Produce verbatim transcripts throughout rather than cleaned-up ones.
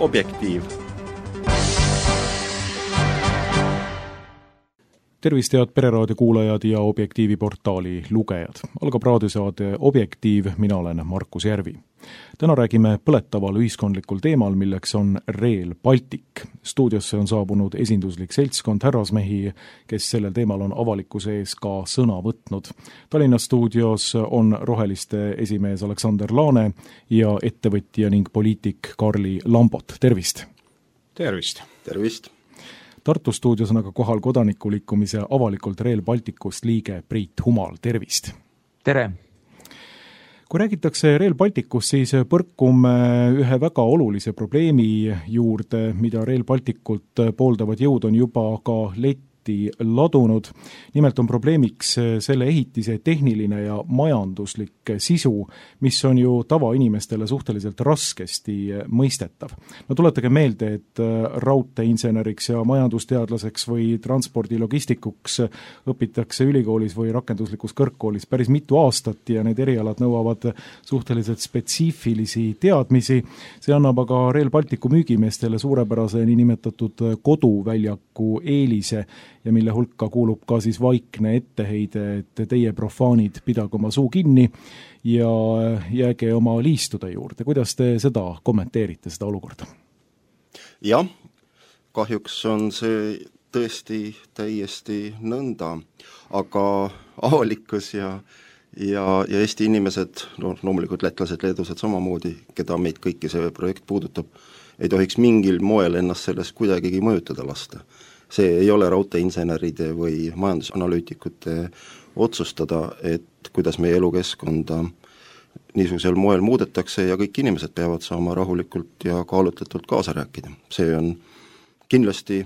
Objektiiv. Tervist, head Pereraadio kuulajad ja Objektiivi portaali lugejad. Algab raadiosaade Objektiiv, mina olen Markus Järvi. Täna räägime põletaval ühiskondlikul teemal, milleks on Rail Baltic. Stuudiosse on saabunud esinduslik seltskond härrasmehi, kes sellel teemal on avalikkuse ees ka sõna võtnud. Tallinna stuudios on roheliste esimees Aleksander Laane ja ettevõtja ning poliitik Karli Lambot. Tervist! Tervist! Tervist! Tartu stuudios on aga kohal kodanikuliikumise avalikult Rail Balticust liige Priit Humal. Tervist! Tere! Kui räägitakse Rail Balticust, siis põrkume ühe väga olulise probleemi juurde, mida Rail Balticut pooldavad jõud on juba ka letti ladunud. Nimelt on probleemiks selle ehitise tehniline ja majanduslik sisu, mis on ju tavainimestele suhteliselt raskesti mõistetav. No tuletage meelde, et raudteeinseneriks ja majandusteadlaseks või transpordilogistikuks õpitakse ülikoolis või rakenduslikus kõrgkoolis päris mitu aastat ja need erialad nõuavad suhteliselt spetsiifilisi teadmisi. See annab aga Rail Balticu müügimeestele suurepärase niinimetatud koduväljaku eelise ja mille hulka kuulub ka siis vaikne etteheide, et teie profaanid pidagu oma suu kinni ja jääge oma liistude juurde. Kuidas te seda kommenteerite, seda olukorda? Jah, kahjuks on see tõesti täiesti nõnda, aga avalikkus ja, ja, ja Eesti inimesed, no loomulikult lätlased, leedused samamoodi, keda meid kõiki see projekt puudutab, ei tohiks mingil moel ennast sellest kuidagigi mõjutada lasta. See ei ole raudteeinseneride või majandusanalüütikute otsustada, et kuidas meie elukeskkonda niisugusel moel muudetakse ja kõik inimesed peavad saama rahulikult ja kaalutletult kaasa rääkida. See on kindlasti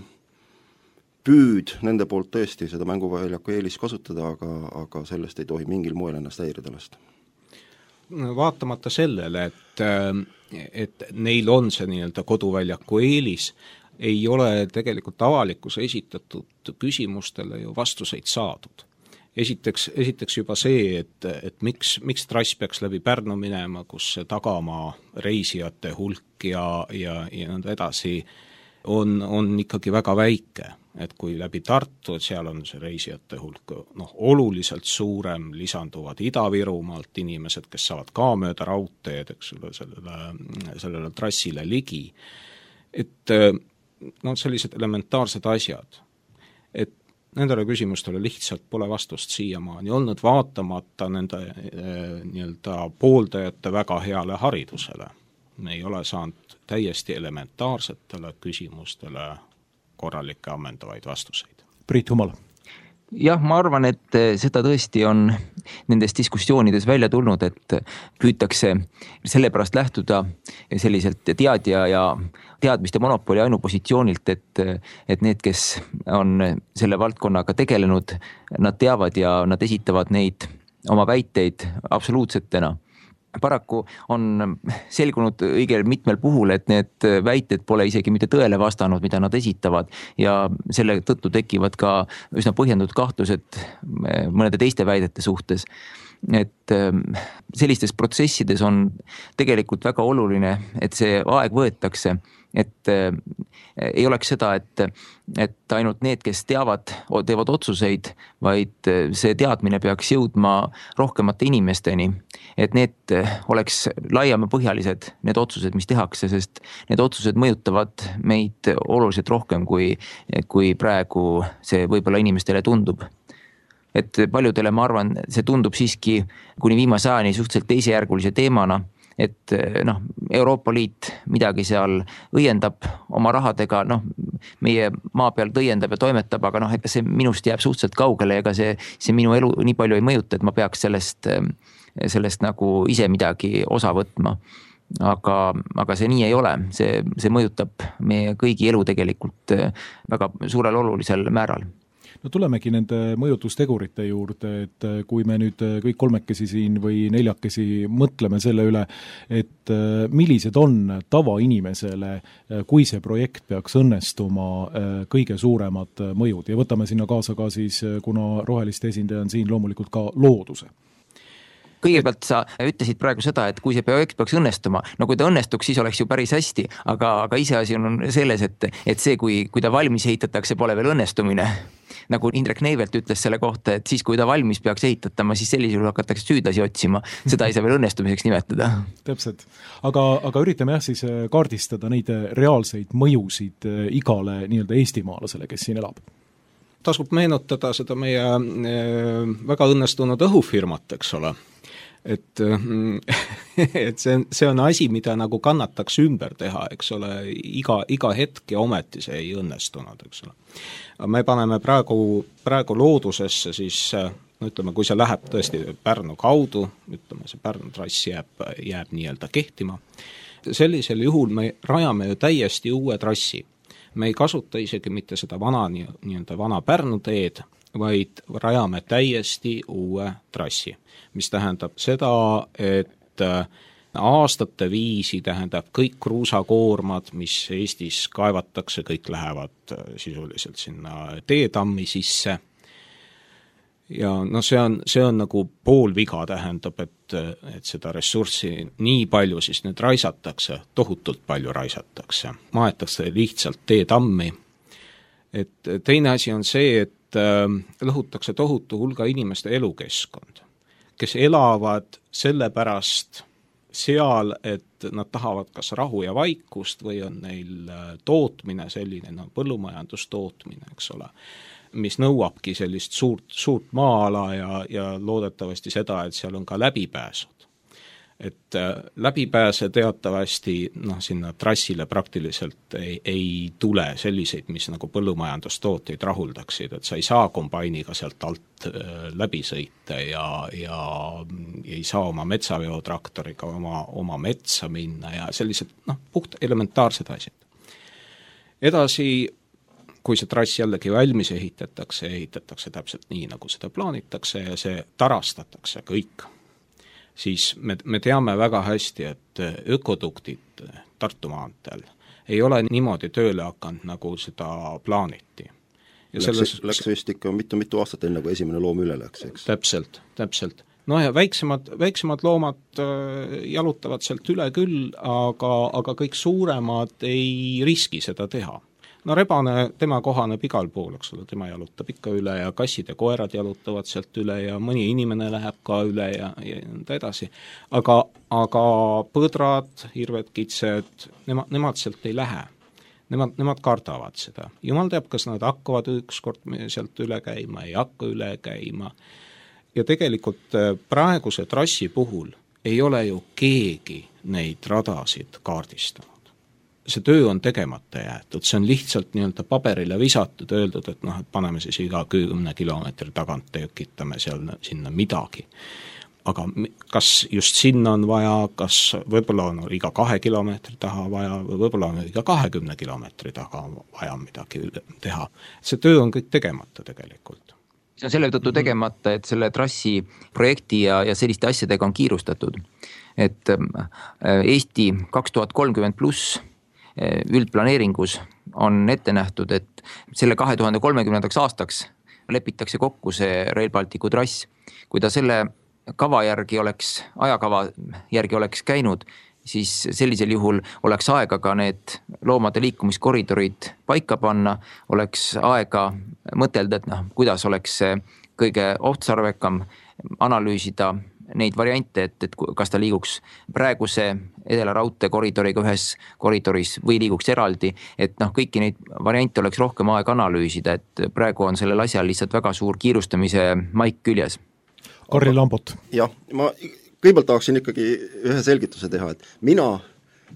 püüd nende poolt tõesti seda mänguväljaku eelis kasutada, aga, aga sellest ei tohi mingil moel ennast häirida lasta. Vaatamata sellele, et, et neil on see nii-öelda koduväljaku eelis, ei ole tegelikult avalikkuse esitatud küsimustele ju vastuseid saadud. Esiteks, esiteks juba see, et, et miks, miks trass peaks läbi Pärnu minema, kus see tagamaa reisijate hulk ja, ja, ja nõnda edasi on, on ikkagi väga väike. Et kui läbi Tartu, et seal on see reisijate hulk noh, oluliselt suurem, lisanduvad Ida-Virumaalt inimesed, kes saavad ka mööda raudteed, eks ole, sellele, sellele trassile ligi. Et no sellised elementaarsed asjad, et nendele küsimustele lihtsalt pole vastust siiamaani olnud, vaatamata nende e, nii-öelda pooldajate väga heale haridusele. Me ei ole saanud täiesti elementaarsetele küsimustele korralikke ammendavaid vastuseid. Priit Humal. Jah, ma arvan, et seda tõesti on nendes diskussioonides välja tulnud, et püütakse sellepärast lähtuda selliselt teadja ja teadmiste monopoli ainupositsioonilt, et, et need, kes on selle valdkonnaga tegelenud, nad teavad ja nad esitavad neid oma väiteid absoluutsetena. Paraku on selgunud õigel mitmel puhul, et need väited pole isegi mitte tõele vastanud, mida nad esitavad ja selle tõttu tekivad ka üsna põhjendatud kahtlused mõnede teiste väidete suhtes. Et sellistes protsessides on tegelikult väga oluline, et see aeg võetakse, et ei oleks seda, et, et ainult need, kes teavad, teevad otsuseid, vaid see teadmine peaks jõudma rohkemate inimesteni, et need oleks laiemapõhjalised, need otsused, mis tehakse, sest need otsused mõjutavad meid oluliselt rohkem, kui, kui praegu see võib-olla inimestele tundub. Et paljudele, ma arvan, see tundub siiski kuni viimase ajani suhteliselt teisejärgulise teemana, et noh, Euroopa Liit midagi seal õiendab oma rahadega, noh, meie maa peal õiendab ja toimetab, aga noh, ega see minust jääb suhteliselt kaugele, ega see, see minu elu nii palju ei mõjuta, et ma peaks sellest, sellest nagu ise midagi osa võtma. Aga, aga see nii ei ole, see, see mõjutab meie kõigi elu tegelikult väga suurel olulisel määral. No tulemegi nende mõjutustegurite juurde, et kui me nüüd kõik kolmekesi siin või neljakesi mõtleme selle üle, et millised on tavainimesele, kui see projekt peaks õnnestuma, kõige suuremad mõjud ja võtame sinna kaasa ka siis, kuna roheliste esindaja on siin loomulikult ka looduse. kõigepealt sa ütlesid praegu seda, et kui see projekt peaks õnnestuma, no kui ta õnnestuks, siis oleks ju päris hästi, aga, aga iseasi on selles, et, et see, kui, kui ta valmis ehitatakse, pole veel õnnestumine. Nagu Indrek Neivelt ütles selle kohta, et siis, kui ta valmis peaks ehitatama, siis sellisel hakatakse süüdlasi otsima. Seda ei saa veel õnnestumiseks nimetada. Täpselt. Aga, aga üritame jah siis kaardistada neid reaalseid mõjusid igale nii-öelda eestimaalasele, kes siin elab. Tasub meenutada seda meie väga õnnestunud õhufirmat, eks ole. Et, et see, see on asi, mida nagu kannataks ümber teha, eks ole, iga, iga hetk ja ometi see ei õnnestunud, eks ole. Me paneme praegu, praegu loodusesse siis, no ütleme, kui see läheb tõesti Pärnu kaudu, ütleme, see Pärnu trass jääb, jääb nii-öelda kehtima, sellisel juhul me rajame ju täiesti uue trassi. Me ei kasuta isegi mitte seda vana, nii-öelda vana Pärnu teed, vaid rajame täiesti uue trassi, mis tähendab seda, et aastate viisi tähendab kõik kruusakoormad, mis Eestis kaevatakse, kõik lähevad sisuliselt sinna teetammi sisse. Ja no see on, see on nagu pool viga tähendab, et, et seda ressurssi nii palju siis nüüd raisatakse, tohutult palju raisatakse, maetakse lihtsalt teetammi. Et teine asi on see, et lõhutakse tohutu hulga inimeste elukeskkond, kes elavad sellepärast seal, et nad tahavad kas rahu ja vaikust või on neil tootmine selline, no põllumajandustootmine, eks ole, mis nõuabki sellist suurt, suurt maa-ala ja, ja loodetavasti seda, et seal on ka läbipääsud. Et läbipääse teatavasti noh, sinna trassile praktiliselt ei, ei tule selliseid, mis nagu põllumajandustooteid rahuldaksid, et sa ei saa kombainiga sealt alt läbi sõita ja, ja ei saa oma metsaveotraktoriga oma, oma metsa minna ja sellised noh, puht elementaarsed asjad. Edasi, kui see trass jällegi valmis ehitatakse, ehitatakse täpselt nii, nagu seda plaanitakse ja see tarastatakse kõik, siis me, me teame väga hästi, et ökoduktid Tartu maanteel ei ole niimoodi tööle hakanud, nagu seda plaaniti. Ja läks, selles... läks vist ikka mitu-mitu aastat enne, kui esimene loom üle läks, eks? Täpselt, täpselt. No ja väiksemad, väiksemad loomad jalutavad sealt üle küll, aga, aga kõik suuremad ei riski seda teha. No rebane, tema kohaneb igal pool, eks ole, tema jalutab ikka üle ja kassid ja koerad jalutavad sealt üle ja mõni inimene läheb ka üle ja, ja nõnda edasi. Aga, aga põdrad, hirved, kitsed, nemad, nemad sealt ei lähe. Nemad, nemad kardavad seda. Jumal teab, kas nad hakkavad ükskord sealt üle käima, ei hakka üle käima. Ja tegelikult praeguse trassi puhul ei ole ju keegi neid radasid kaardistanud. See töö on tegemata jäetud, see on lihtsalt nii-öelda paberile visatud, öeldud, et noh, et paneme siis iga kümne kilomeetri tagant tekitame seal sinna midagi. Aga kas just sinna on vaja, kas võib-olla on iga kahe kilomeetri taha vaja, või võib-olla on iga kahekümne kilomeetri taha vaja midagi teha. See töö on kõik tegemata tegelikult. See on selle tõttu tegemata, et selle trassi projekti ja, ja selliste asjadega on kiirustatud. Et Eesti kaks tuhat kolmkümmend pluss üldplaneeringus on ette nähtud, et selle kahe tuhande kolmekümnendaks aastaks lepitakse kokku see Rail Balticu trass. Kui ta selle kava järgi oleks, ajakava järgi oleks käinud, siis sellisel juhul oleks aega ka need loomade liikumiskoridorid paika panna, oleks aega mõtelda, et noh, kuidas oleks kõige otstarvekam analüüsida neid variante, et, et kas ta liiguks praeguse Edela raudtee koridoriga ühes koridoris või liiguks eraldi, et noh, kõiki neid variante oleks rohkem aega analüüsida, et praegu on sellel asjal lihtsalt väga suur kiirustamise maik küljes. Karri Lambot. Jah, ma kõigepealt tahaksin ikkagi ühe selgituse teha, et mina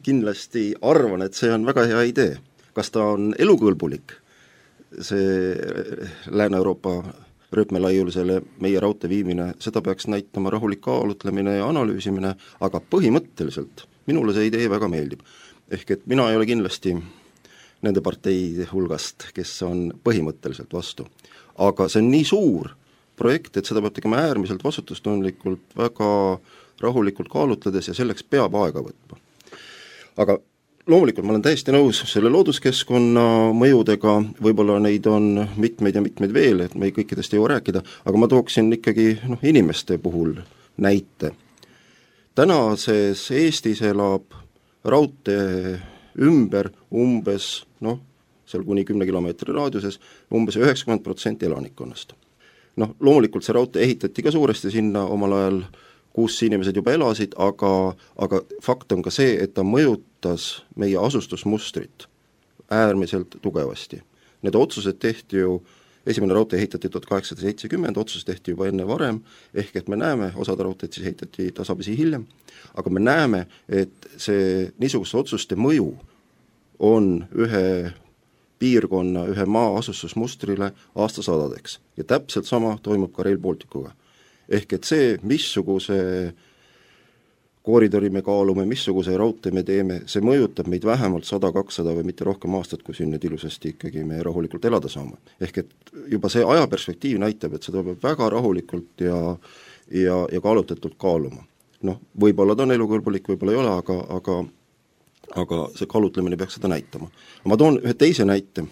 kindlasti arvan, et see on väga hea idee. Kas ta on elukõlbulik, see Lääne-Euroopa rööpmelaiulisele meie raudtee viimine, seda peaks näitama rahulik kaalutlemine ja analüüsimine, aga põhimõtteliselt minule see idee väga meeldib. Ehk et mina ei ole kindlasti nende parteide hulgast, kes on põhimõtteliselt vastu. Aga see on nii suur projekt, et seda peab tegema äärmiselt vastutustundlikult, väga rahulikult kaalutledes ja selleks peab aega võtma. Aga loomulikult ma olen täiesti nõus selle looduskeskkonna mõjudega, võib-olla neid on mitmeid ja mitmeid veel, et me ei kõikidest ei jõua rääkida, aga ma tooksin ikkagi noh, inimeste puhul näite. Tänases Eestis elab raudtee ümber umbes, noh, seal kuni kümne kilomeetri raadiuses, umbes üheksakümmend protsenti elanikkonnast. Noh, loomulikult see raudtee ehitati ka suuresti sinna omal ajal, kus inimesed juba elasid, aga, aga fakt on ka see, et ta mõjutas meie asustusmustrit äärmiselt tugevasti. Need otsused tehti ju, esimene raudtee ehitati tuhat kaheksasada seitsekümmend, otsus tehti juba enne varem, ehk et me näeme, osad raudteed siis ehitati tasapisi hiljem, aga me näeme, et see niisuguste otsuste mõju on ühe piirkonna, ühe maa asustusmustrile aastasadadeks. Ja täpselt sama toimub ka Rail Balticuga. Ehk et see, missuguse koridori me kaalume, missuguse raudtee me teeme, see mõjutab meid vähemalt sada kakssada või mitte rohkem aastat, kui siin nüüd ilusasti ikkagi me rahulikult elada saame. Ehk et juba see ajaperspektiiv näitab, et seda peab väga rahulikult ja, ja, ja kaalutletult kaaluma. Noh, võib-olla ta on elukõlbulik, võib-olla ei ole, aga, aga, aga see kaalutlemine peaks seda näitama. Ma toon ühe teise näite.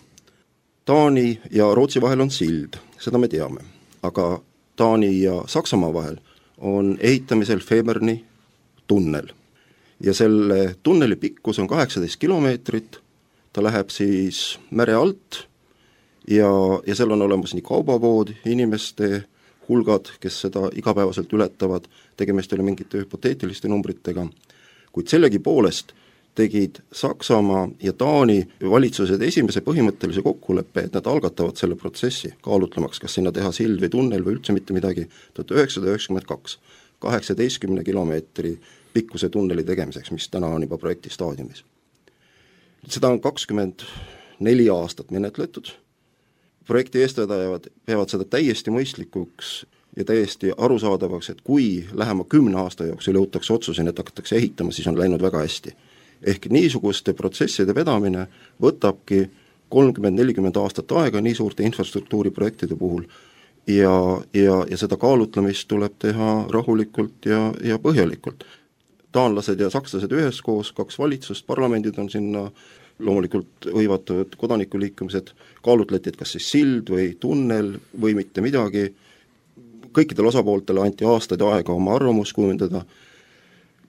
Taani ja Rootsi vahel on sild, seda me teame, aga Taani ja Saksamaa vahel on ehitamisel Femerni tunnel. Ja selle tunneli pikkus on kaheksateist kilomeetrit, ta läheb siis mere alt ja, ja seal on olemas nii kaubavood, inimeste hulgad, kes seda igapäevaselt ületavad, tegemist oli mingite hüpoteetiliste numbritega, kuid sellegi poolest tegid Saksamaa ja Taani valitsused esimese põhimõttelise kokkuleppe, et nad algatavad selle protsessi, kaalutlemaks, kas sinna teha sild või tunnel või üldse mitte midagi, tuhat üheksasada üheksakümmend kaks, kaheksateistkümne kilomeetri pikkuse tunneli tegemiseks, mis täna on juba projekti staadiumis. Seda on kakskümmend neli aastat menetletud, projekti eestvedajad peavad seda täiesti mõistlikuks ja täiesti arusaadavaks, et kui lähema kümne aasta jooksul jõutakse otsuseni, et hakatakse ehitama, siis on läinud väga hästi. Ehk niisuguste protsesside vedamine võtabki kolmkümmend nelikümmend aastat aega nii suurte infrastruktuuriprojektide puhul ja, ja, ja seda kaalutlemist tuleb teha rahulikult ja, ja põhjalikult. Taanlased ja sakslased üheskoos, kaks valitsust, parlamendid on sinna loomulikult hõivatud kodanikuliikumised, kaalutleti, et kas siis sild või tunnel või mitte midagi. Kõikidel osapooltele anti aastaid aega oma arvamus kujundada,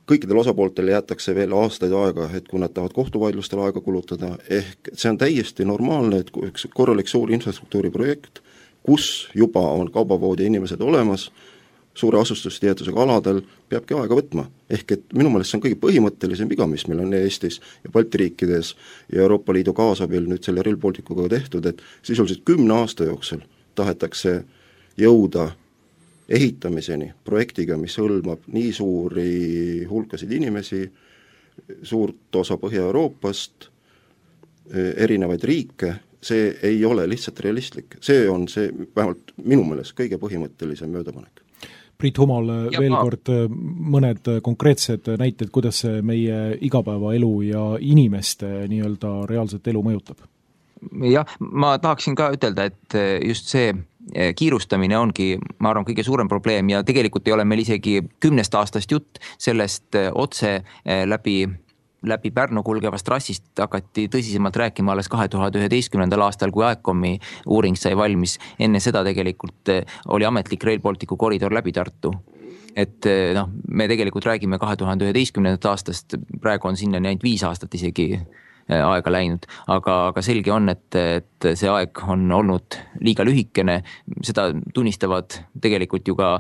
kõikidel osapooltele jäetakse veel aastaid aega, et kui nad tahavad kohtuvaidlustel aega kulutada, ehk see on täiesti normaalne, et üks korralik suur infrastruktuuriprojekt, kus juba on kaubavood ja inimesed olemas, suure asustustietusega aladel, peabki aega võtma. Ehk et minu meelest see on kõige põhimõttelisem viga, mis meil on Eestis ja Balti riikides ja Euroopa Liidu kaasabil nüüd selle Rail Balticuga tehtud, et sisuliselt kümne aasta jooksul tahetakse jõuda ehitamiseni projektiga, mis hõlmab nii suuri hulkasid inimesi, suurt osa Põhja-Euroopast, erinevaid riike, see ei ole lihtsalt realistlik. See on see vähemalt minu meelest kõige põhimõttelisem möödapanek. Priit Humal, ja veel ma... kord mõned konkreetsed näited, kuidas see meie igapäevaelu ja inimeste nii-öelda reaalset elu mõjutab? Jah, ma tahaksin ka ütelda, et just see kiirustamine ongi, ma arvan, kõige suurem probleem ja tegelikult ei ole meil isegi kümnest aastast jutt, sellest otse läbi läbi Pärnu kulgevast trassist hakati tõsisemalt rääkima alles kahe tuhande üheteistkümnendal aastal, kui Aekomi uuring sai valmis. Enne seda tegelikult oli ametlik Rail Balticu koridor läbi Tartu. Et noh, me tegelikult räägime kahe tuhande üheteistkümnendast aastast, praegu on sinna ainult viis aastat isegi aega läinud, aga, aga selge on, et, et see aeg on olnud liiga lühikene, seda tunnistavad tegelikult ju ka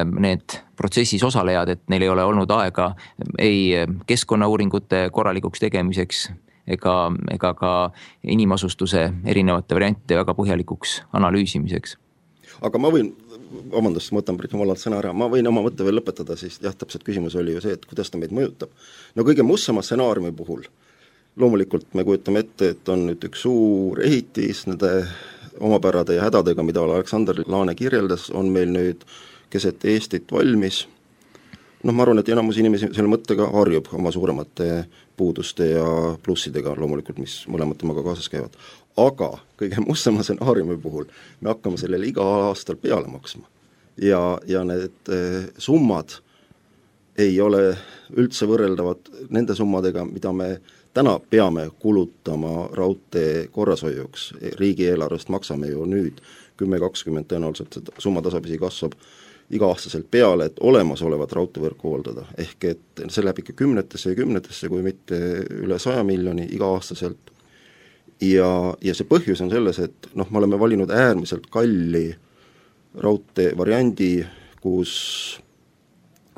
need protsessis osalejad, et neil ei ole olnud aega ei keskkonnauuringute korralikuks tegemiseks ega, ega ka inimasustuse erinevate variante väga põhjalikuks analüüsimiseks. Aga ma võin, vabandust, ma võtan Priit Humalalt sõna ära, ma võin oma mõtte veel lõpetada, siis jah, täpselt küsimus oli ju see, et kuidas ta meid mõjutab. No kõige mustama stsenaariumi puhul loomulikult me kujutame ette, et on nüüd üks suur ehitis nende omapärade ja hädadega, mida Aleksander Laane kirjeldas, on meil nüüd keset Eestit valmis. Noh, ma arvan, et enamus inimesi selle mõttega harjub oma suuremate puuduste ja plussidega loomulikult, mis mõlemad temaga kaasas käivad. Aga kõige mustama stsenaariumi puhul me hakkame sellele iga aastal peale maksma. Ja, ja need eh, summad ei ole üldse võrreldavad nende summadega, mida me täna peame kulutama raudtee korrashoiuks. Riigieelarvest maksame ju nüüd kümme kakskümmend tõenäoliselt, summa tasapisi kasvab iga-aastaselt peale, et olemasolevat raudteevõrku hooldada, ehk et see läheb ikka kümnetesse ja kümnetesse, kui mitte üle saja miljoni iga-aastaselt. Ja, ja see põhjus on selles, et noh, me oleme valinud äärmiselt kalli raudtee variandi, kus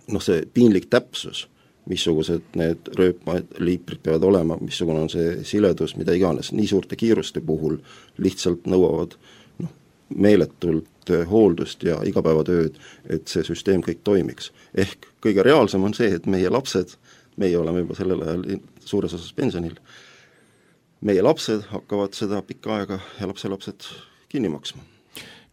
noh, see piinlik täpsus, missugused need rööpmaliiprid peavad olema, missugune on see siledus, mida iganes, nii suurte kiiruste puhul lihtsalt nõuavad noh, meeletult hooldust ja igapäevatööd, et see süsteem kõik toimiks. Ehk kõige reaalsem on see, et meie lapsed, meie oleme juba sellel ajal suures osas pensionil, meie lapsed hakkavad seda pikka aega ja lapselapsed kinni maksma.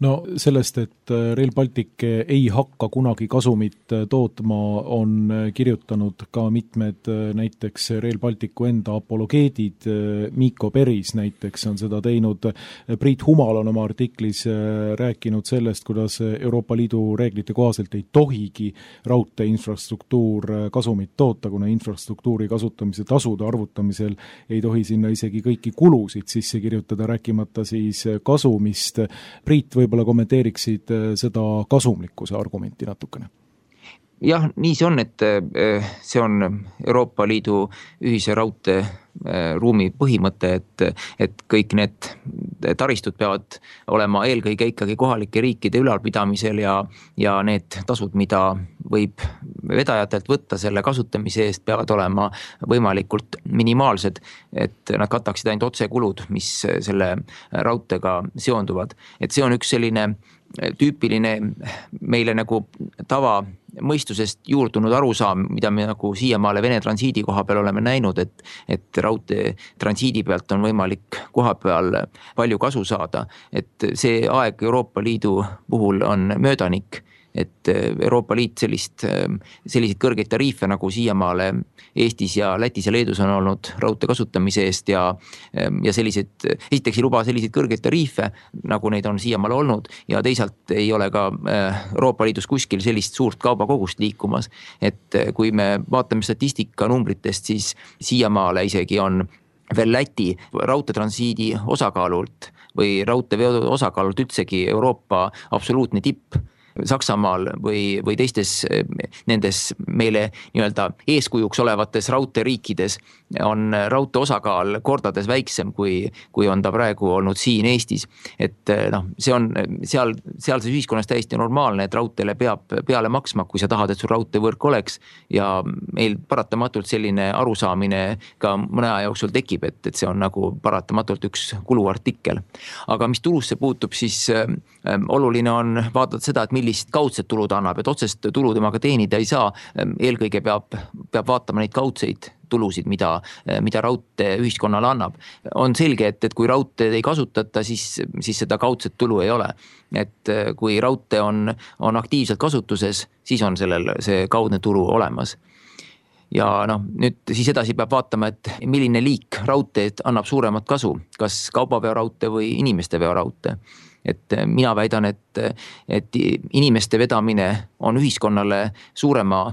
No sellest, et Rail Baltic ei hakka kunagi kasumit tootma, on kirjutanud ka mitmed näiteks Rail Balticu enda apologeedid, Mikko Peris näiteks on seda teinud, Priit Humal on oma artiklis rääkinud sellest, kuidas Euroopa Liidu reeglite kohaselt ei tohigi raudtee infrastruktuur kasumit toota, kuna infrastruktuuri kasutamise tasude arvutamisel ei tohi sinna isegi kõiki kulusid sisse kirjutada, rääkimata siis kasumist. Priit, võib võib-olla kommenteeriksid seda kasumlikkuse argumenti natukene? Jah, nii see on, et see on Euroopa Liidu ühise raudtee ruumi põhimõte, et, et kõik need taristud peavad olema eelkõige ikkagi kohalike riikide ülalpidamisel ja, ja need tasud, mida võib vedajatelt võtta selle kasutamise eest, peavad olema võimalikult minimaalsed, et nad kataksid ainult otsekulud, mis selle raudteega seonduvad. Et see on üks selline tüüpiline meile nagu tava mõistusest juurdunud arusaam, mida me nagu siiamaale Vene transiidi koha peal oleme näinud, et, et raudtee transiidi pealt on võimalik koha peal palju kasu saada. Et see aeg Euroopa Liidu puhul on möödanik, et Euroopa Liit sellist, selliseid kõrgeid tariife nagu siiamaale Eestis ja Lätis ja Leedus on olnud raudtee kasutamise eest ja, ja sellised, esiteks ei luba selliseid kõrgeid tariife, nagu neid on siiamaale olnud ja teisalt ei ole ka Euroopa Liidus kuskil sellist suurt kaubakogust liikumas, et kui me vaatame statistika numbritest, siis siiamaale isegi on veel Läti raudteetransiidi osakaalult või raudteeveo osakaalult üldsegi Euroopa absoluutne tipp. Saksamaal või, või teistes nendes meile nii-öelda eeskujuks olevates raudteeriikides on raudtee osakaal kordades väiksem, kui, kui on ta praegu olnud siin Eestis. Et noh, see on seal, sealses ühiskonnas täiesti normaalne, et raudteele peab peale maksma, kui sa tahad, et sul raudteevõrk oleks ja meil paratamatult selline arusaamine ka mõne aja jooksul tekib, et, et see on nagu paratamatult üks kuluartikkel. Aga mis tulusse puutub, siis äh, oluline on vaadata seda, et millist kaudset tulu ta annab, et otsest tulu temaga teenida ei saa. Eelkõige peab, peab vaatama neid kaudseid tulusid, mida, mida raudtee ühiskonnale annab. On selge, et, et kui raudteed ei kasutata, siis, siis seda kaudset tulu ei ole. Et kui raudtee on, on aktiivselt kasutuses, siis on sellel see kaudne tulu olemas. Ja noh, nüüd siis edasi peab vaatama, et milline liik raudteed annab suuremat kasu, kas kaubaveo raudtee või inimeste veo raudtee. Et mina väidan, et, et inimeste vedamine on ühiskonnale suurema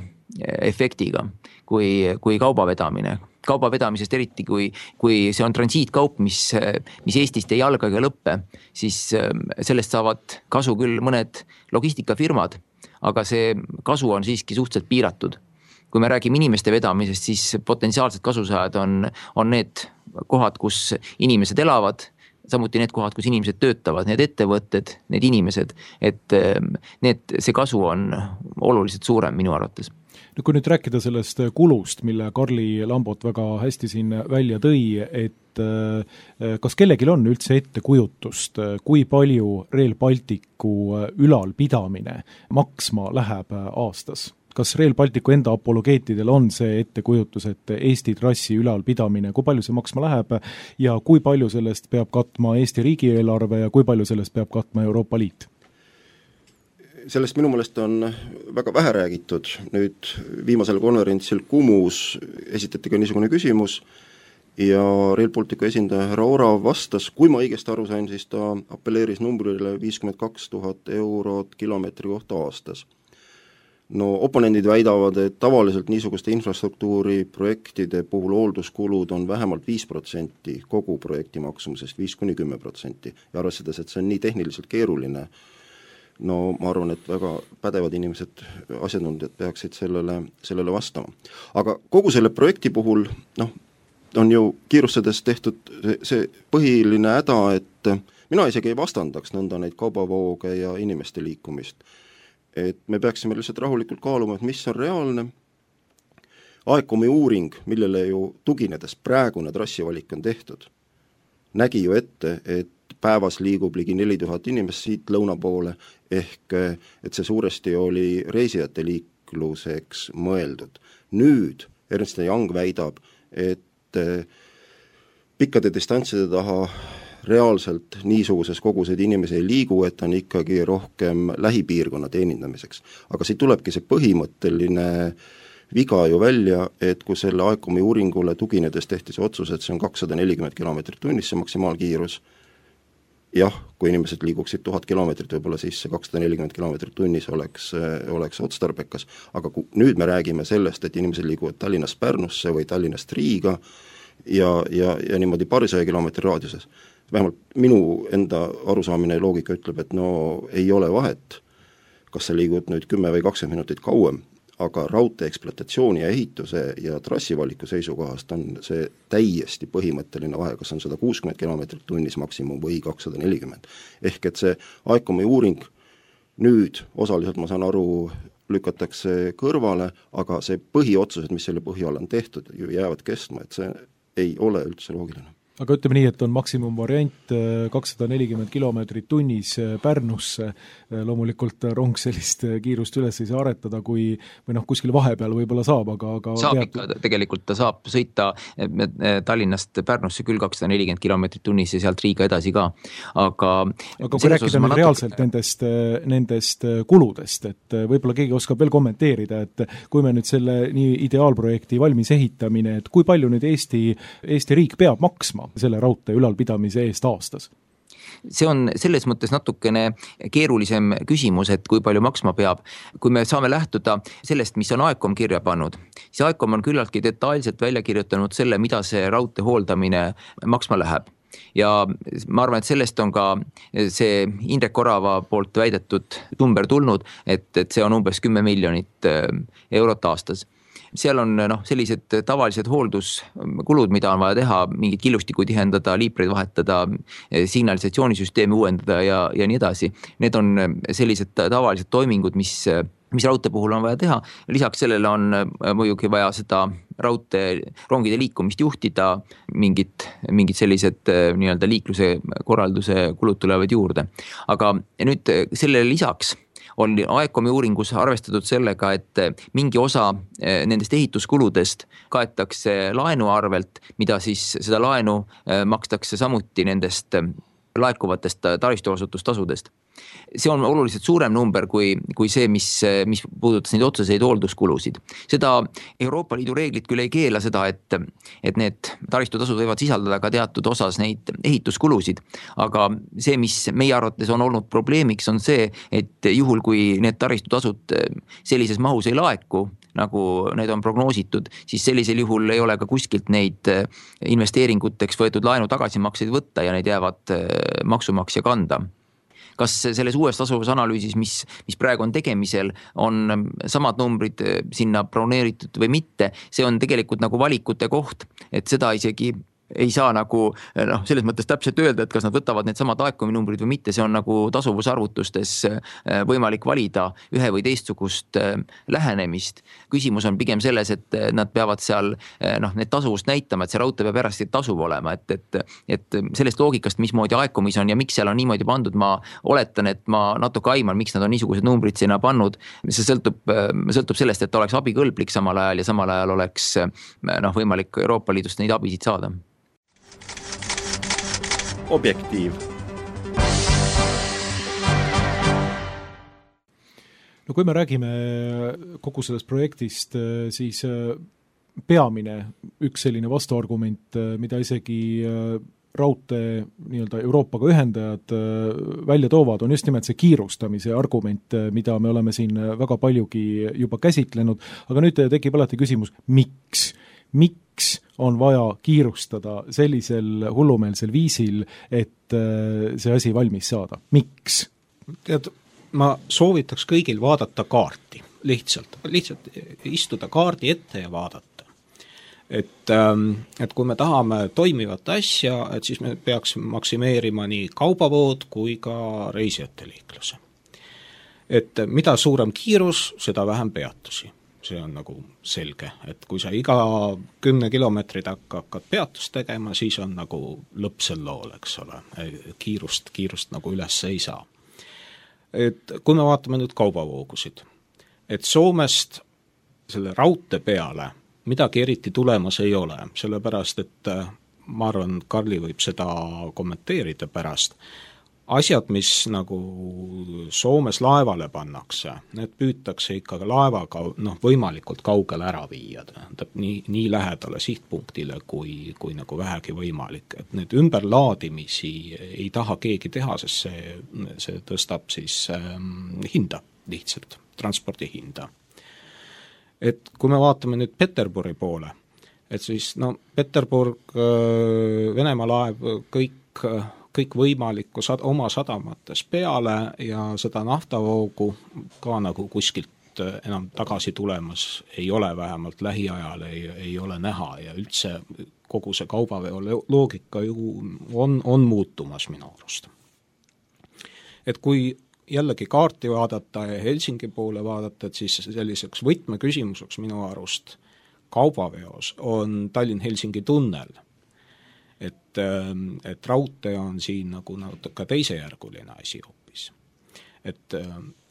efektiga kui, kui kauba vedamine. Kauba vedamisest eriti, kui, kui see on transiitkaup, mis, mis Eestist ei alga ega lõppe, siis sellest saavad kasu küll mõned logistikafirmad, aga see kasu on siiski suhteliselt piiratud. Kui me räägime inimeste vedamisest, siis potentsiaalsed kasusaajad on, on need kohad, kus inimesed elavad, samuti need kohad, kus inimesed töötavad, need ettevõtted, need inimesed, et need, see kasu on oluliselt suurem minu arvates. No kui nüüd rääkida sellest kulust, mille Karli Lambot väga hästi siin välja tõi, et kas kellegil on üldse ettekujutust, kui palju Rail Balticu ülalpidamine maksma läheb aastas? Kas Rail Balticu enda apologeetidel on see ettekujutus, et Eesti trassi ülalpidamine, kui palju see maksma läheb ja kui palju sellest peab katma Eesti riigieelarve ja kui palju sellest peab katma Euroopa Liit? Sellest minu meelest on väga vähe räägitud. Nüüd viimasel konverentsil Kumus esitati ka niisugune küsimus ja Rail Balticu esindaja härra Orav vastas, kui ma õigesti aru sain, siis ta appelleeris numbrile viiskümmend kaks tuhat eurot kilomeetri kohta aastas. No oponendid väidavad, et tavaliselt niisuguste infrastruktuuri projektide puhul hoolduskulud on vähemalt viis protsenti kogu projekti maksumusest, viis kuni kümme protsenti. Ja arvestades, et see on nii tehniliselt keeruline no ma arvan, et väga pädevad inimesed, asjatundjad peaksid sellele, sellele vastama. aga kogu selle projekti puhul, noh, on ju kiirustades tehtud see, see põhiline häda, et mina isegi ei vastandaks nõnda neid kaubavooge ja inimeste liikumist. Et me peaksime lihtsalt rahulikult kaaluma, et mis on reaalne. Aekomi uuring, millele ju tuginedes praegune trassivalik on tehtud, nägi ju ette, et päevas liigub ligi neli tuhat inimest siit lõuna poole, ehk et see suuresti oli reisijate liikluseks mõeldud. Nüüd Ernst ja Young väidab, et pikkade distantside taha reaalselt niisuguses koguseid inimesi ei liigu, et on ikkagi rohkem lähipiirkonna teenindamiseks. Aga siit tulebki see põhimõtteline viga ju välja, et kui selle Aekomi uuringule tuginedes tehti see otsus, et see on kakssada nelikümmend kilomeetrit tunnis, see maksimaalkiirus, jah, kui inimesed liiguksid tuhat kilomeetrit, võib-olla siis see kakssada nelikümmend kilomeetrit tunnis oleks, oleks otstarbekas, aga kui nüüd me räägime sellest, et inimesed liiguvad Tallinnast Pärnusse või Tallinnast Riiga ja, ja, ja niimoodi paarisaja kilomeetri raadiuses, vähemalt minu enda arusaamine ja loogika ütleb, et no ei ole vahet, kas sa liigud nüüd kümme või kakskümmend minutit kauem, aga raudtee ekspluatatsiooni ja ehituse ja trassivaliku seisukohast on see täiesti põhimõtteline vahe, kas on sada kuuskümmend kilomeetrit tunnis maksimum või kakssada nelikümmend. Ehk et see Aekomi uuring nüüd osaliselt, ma saan aru, lükatakse kõrvale, aga see põhiotsused, mis selle põhjal on tehtud, ju jäävad kestma, et see ei ole üldse loogiline. Aga ütleme nii, et on maksimumvariant kakssada nelikümmend kilomeetrit tunnis Pärnusse, loomulikult rong sellist kiirust üles ei saa aretada, kui, või noh, kuskil vahepeal võib-olla saab, aga, aga saab tead... ikka, tegelikult ta saab sõita Tallinnast Pärnusse küll kakssada nelikümmend kilomeetrit tunnis ja sealt Riiga edasi ka, aga aga kui rääkida nüüd reaalselt natuke... nendest, nendest kuludest, et võib-olla keegi oskab veel kommenteerida, et kui me nüüd selle nii ideaalprojekti valmis ehitamine, et kui palju nüüd Eesti, Eesti riik peab maksma selle raudtee ülalpidamise eest aastas? See on selles mõttes natukene keerulisem küsimus, et kui palju maksma peab. Kui me saame lähtuda sellest, mis on Aekom kirja pannud, siis Aekom on küllaltki detailselt välja kirjutanud selle, mida see raudtee hooldamine maksma läheb. Ja ma arvan, et sellest on ka see Indrek Orava poolt väidetud number tulnud, et, et see on umbes kümme miljonit eurot aastas. Seal on noh, sellised tavalised hoolduskulud, mida on vaja teha, mingid killustiku tihendada, liipreid vahetada, signalisatsioonisüsteemi uuendada ja, ja nii edasi. Need on sellised tavalised toimingud, mis, mis raudtee puhul on vaja teha. Lisaks sellele on muidugi vaja seda raudtee rongide liikumist juhtida, mingid, mingid sellised nii-öelda liikluse korralduse kulud tulevad juurde. Aga nüüd sellele lisaks on Aekomi uuringus arvestatud sellega, et mingi osa nendest ehituskuludest kaetakse laenu arvelt, mida siis seda laenu makstakse samuti nendest laekuvatest taristuasutustasudest. See on oluliselt suurem number kui, kui see, mis, mis puudutas neid otseseid hoolduskulusid. Seda Euroopa Liidu reeglid küll ei keela seda, et, et need taristutasud võivad sisaldada ka teatud osas neid ehituskulusid, aga see, mis meie arvates on olnud probleemiks, on see, et juhul kui need taristutasud sellises mahus ei laeku, nagu need on prognoositud, siis sellisel juhul ei ole ka kuskilt neid investeeringuteks võetud laenu tagasimakseid võtta ja need jäävad maksumaksja kanda. Kas selles uues tasuvusanalüüsis, mis, mis praegu on tegemisel, on samad numbrid sinna broneeritud või mitte, see on tegelikult nagu valikute koht, et seda isegi ei saa nagu noh, selles mõttes täpselt öelda, et kas nad võtavad need samad Aekomi numbrid või mitte, see on nagu tasuvusarvutustes võimalik valida ühe või teistsugust lähenemist. Küsimus on pigem selles, et nad peavad seal noh, need tasuvust näitama, et see raudtee peab järjest tasuv olema, et, et, et sellest loogikast, mismoodi Aekomis on ja miks seal on niimoodi pandud, ma oletan, et ma natuke aiman, miks nad on niisugused numbrid sinna pannud. See sõltub, sõltub sellest, et oleks abikõlblik samal ajal ja samal ajal oleks noh, võimalik Euroopa Liidust neid abisid saada. Objektiiv. No kui me räägime kogu sellest projektist, siis peamine üks selline vastuargument, mida isegi raudtee nii-öelda Euroopaga ühendajad välja toovad, on just nimelt see kiirustamise argument, mida me oleme siin väga paljugi juba käsitlenud, aga nüüd tekib alati küsimus, miks? Miks on vaja kiirustada sellisel hullumeelsel viisil, et see asi valmis saada? Miks? Tead, ma soovitaks kõigil vaadata kaarti, lihtsalt, lihtsalt istuda kaardi ette ja vaadata. Et, et kui me tahame toimivat asja, et siis me peaks maksimeerima nii kaubavood kui ka reisijate liikluse. Et mida suurem kiirus, seda vähem peatusi. See on nagu selge, et kui sa iga kümne kilomeetri takka hakkad peatust tegema, siis on nagu lõpp sel lool, eks ole. Kiirust, kiirust nagu üles ei saa. Et kui me vaatame nüüd kaubavoogusid, et Soomest selle raudtee peale midagi eriti tulemas ei ole, sellepärast, et ma arvan, Karli võib seda kommenteerida pärast. Asjad, mis nagu Soomes laevale pannakse, need püütakse ikkagi laevaga noh, võimalikult kaugele ära viia, nii, nii lähedale sihtpunktile kui, kui nagu vähegi võimalik. Et need ümberlaadimisi ei taha keegi teha, sest see, see tõstab siis ähm, hinda lihtsalt, transpordi hinda. Et kui me vaatame nüüd Peterburi poole, et siis no Peterburg, Venemaa laev, kõik, kõik võimalikku sad, oma sadamates peale ja seda naftavoogu ka nagu kuskilt enam tagasi tulemas ei ole, vähemalt lähiajal ei, ei ole näha ja üldse kogu see kaubaveo loogika ju on, on muutumas minu arust. Et kui jällegi kaarti vaadata ja Helsingi poole vaadata, et siis selliseks võtmeküsimuseks minu arust kaubaveos on Tallinn-Helsingi tunnel. Et, et raudtee on siin nagu natuke teisejärguline asi hoopis. Et,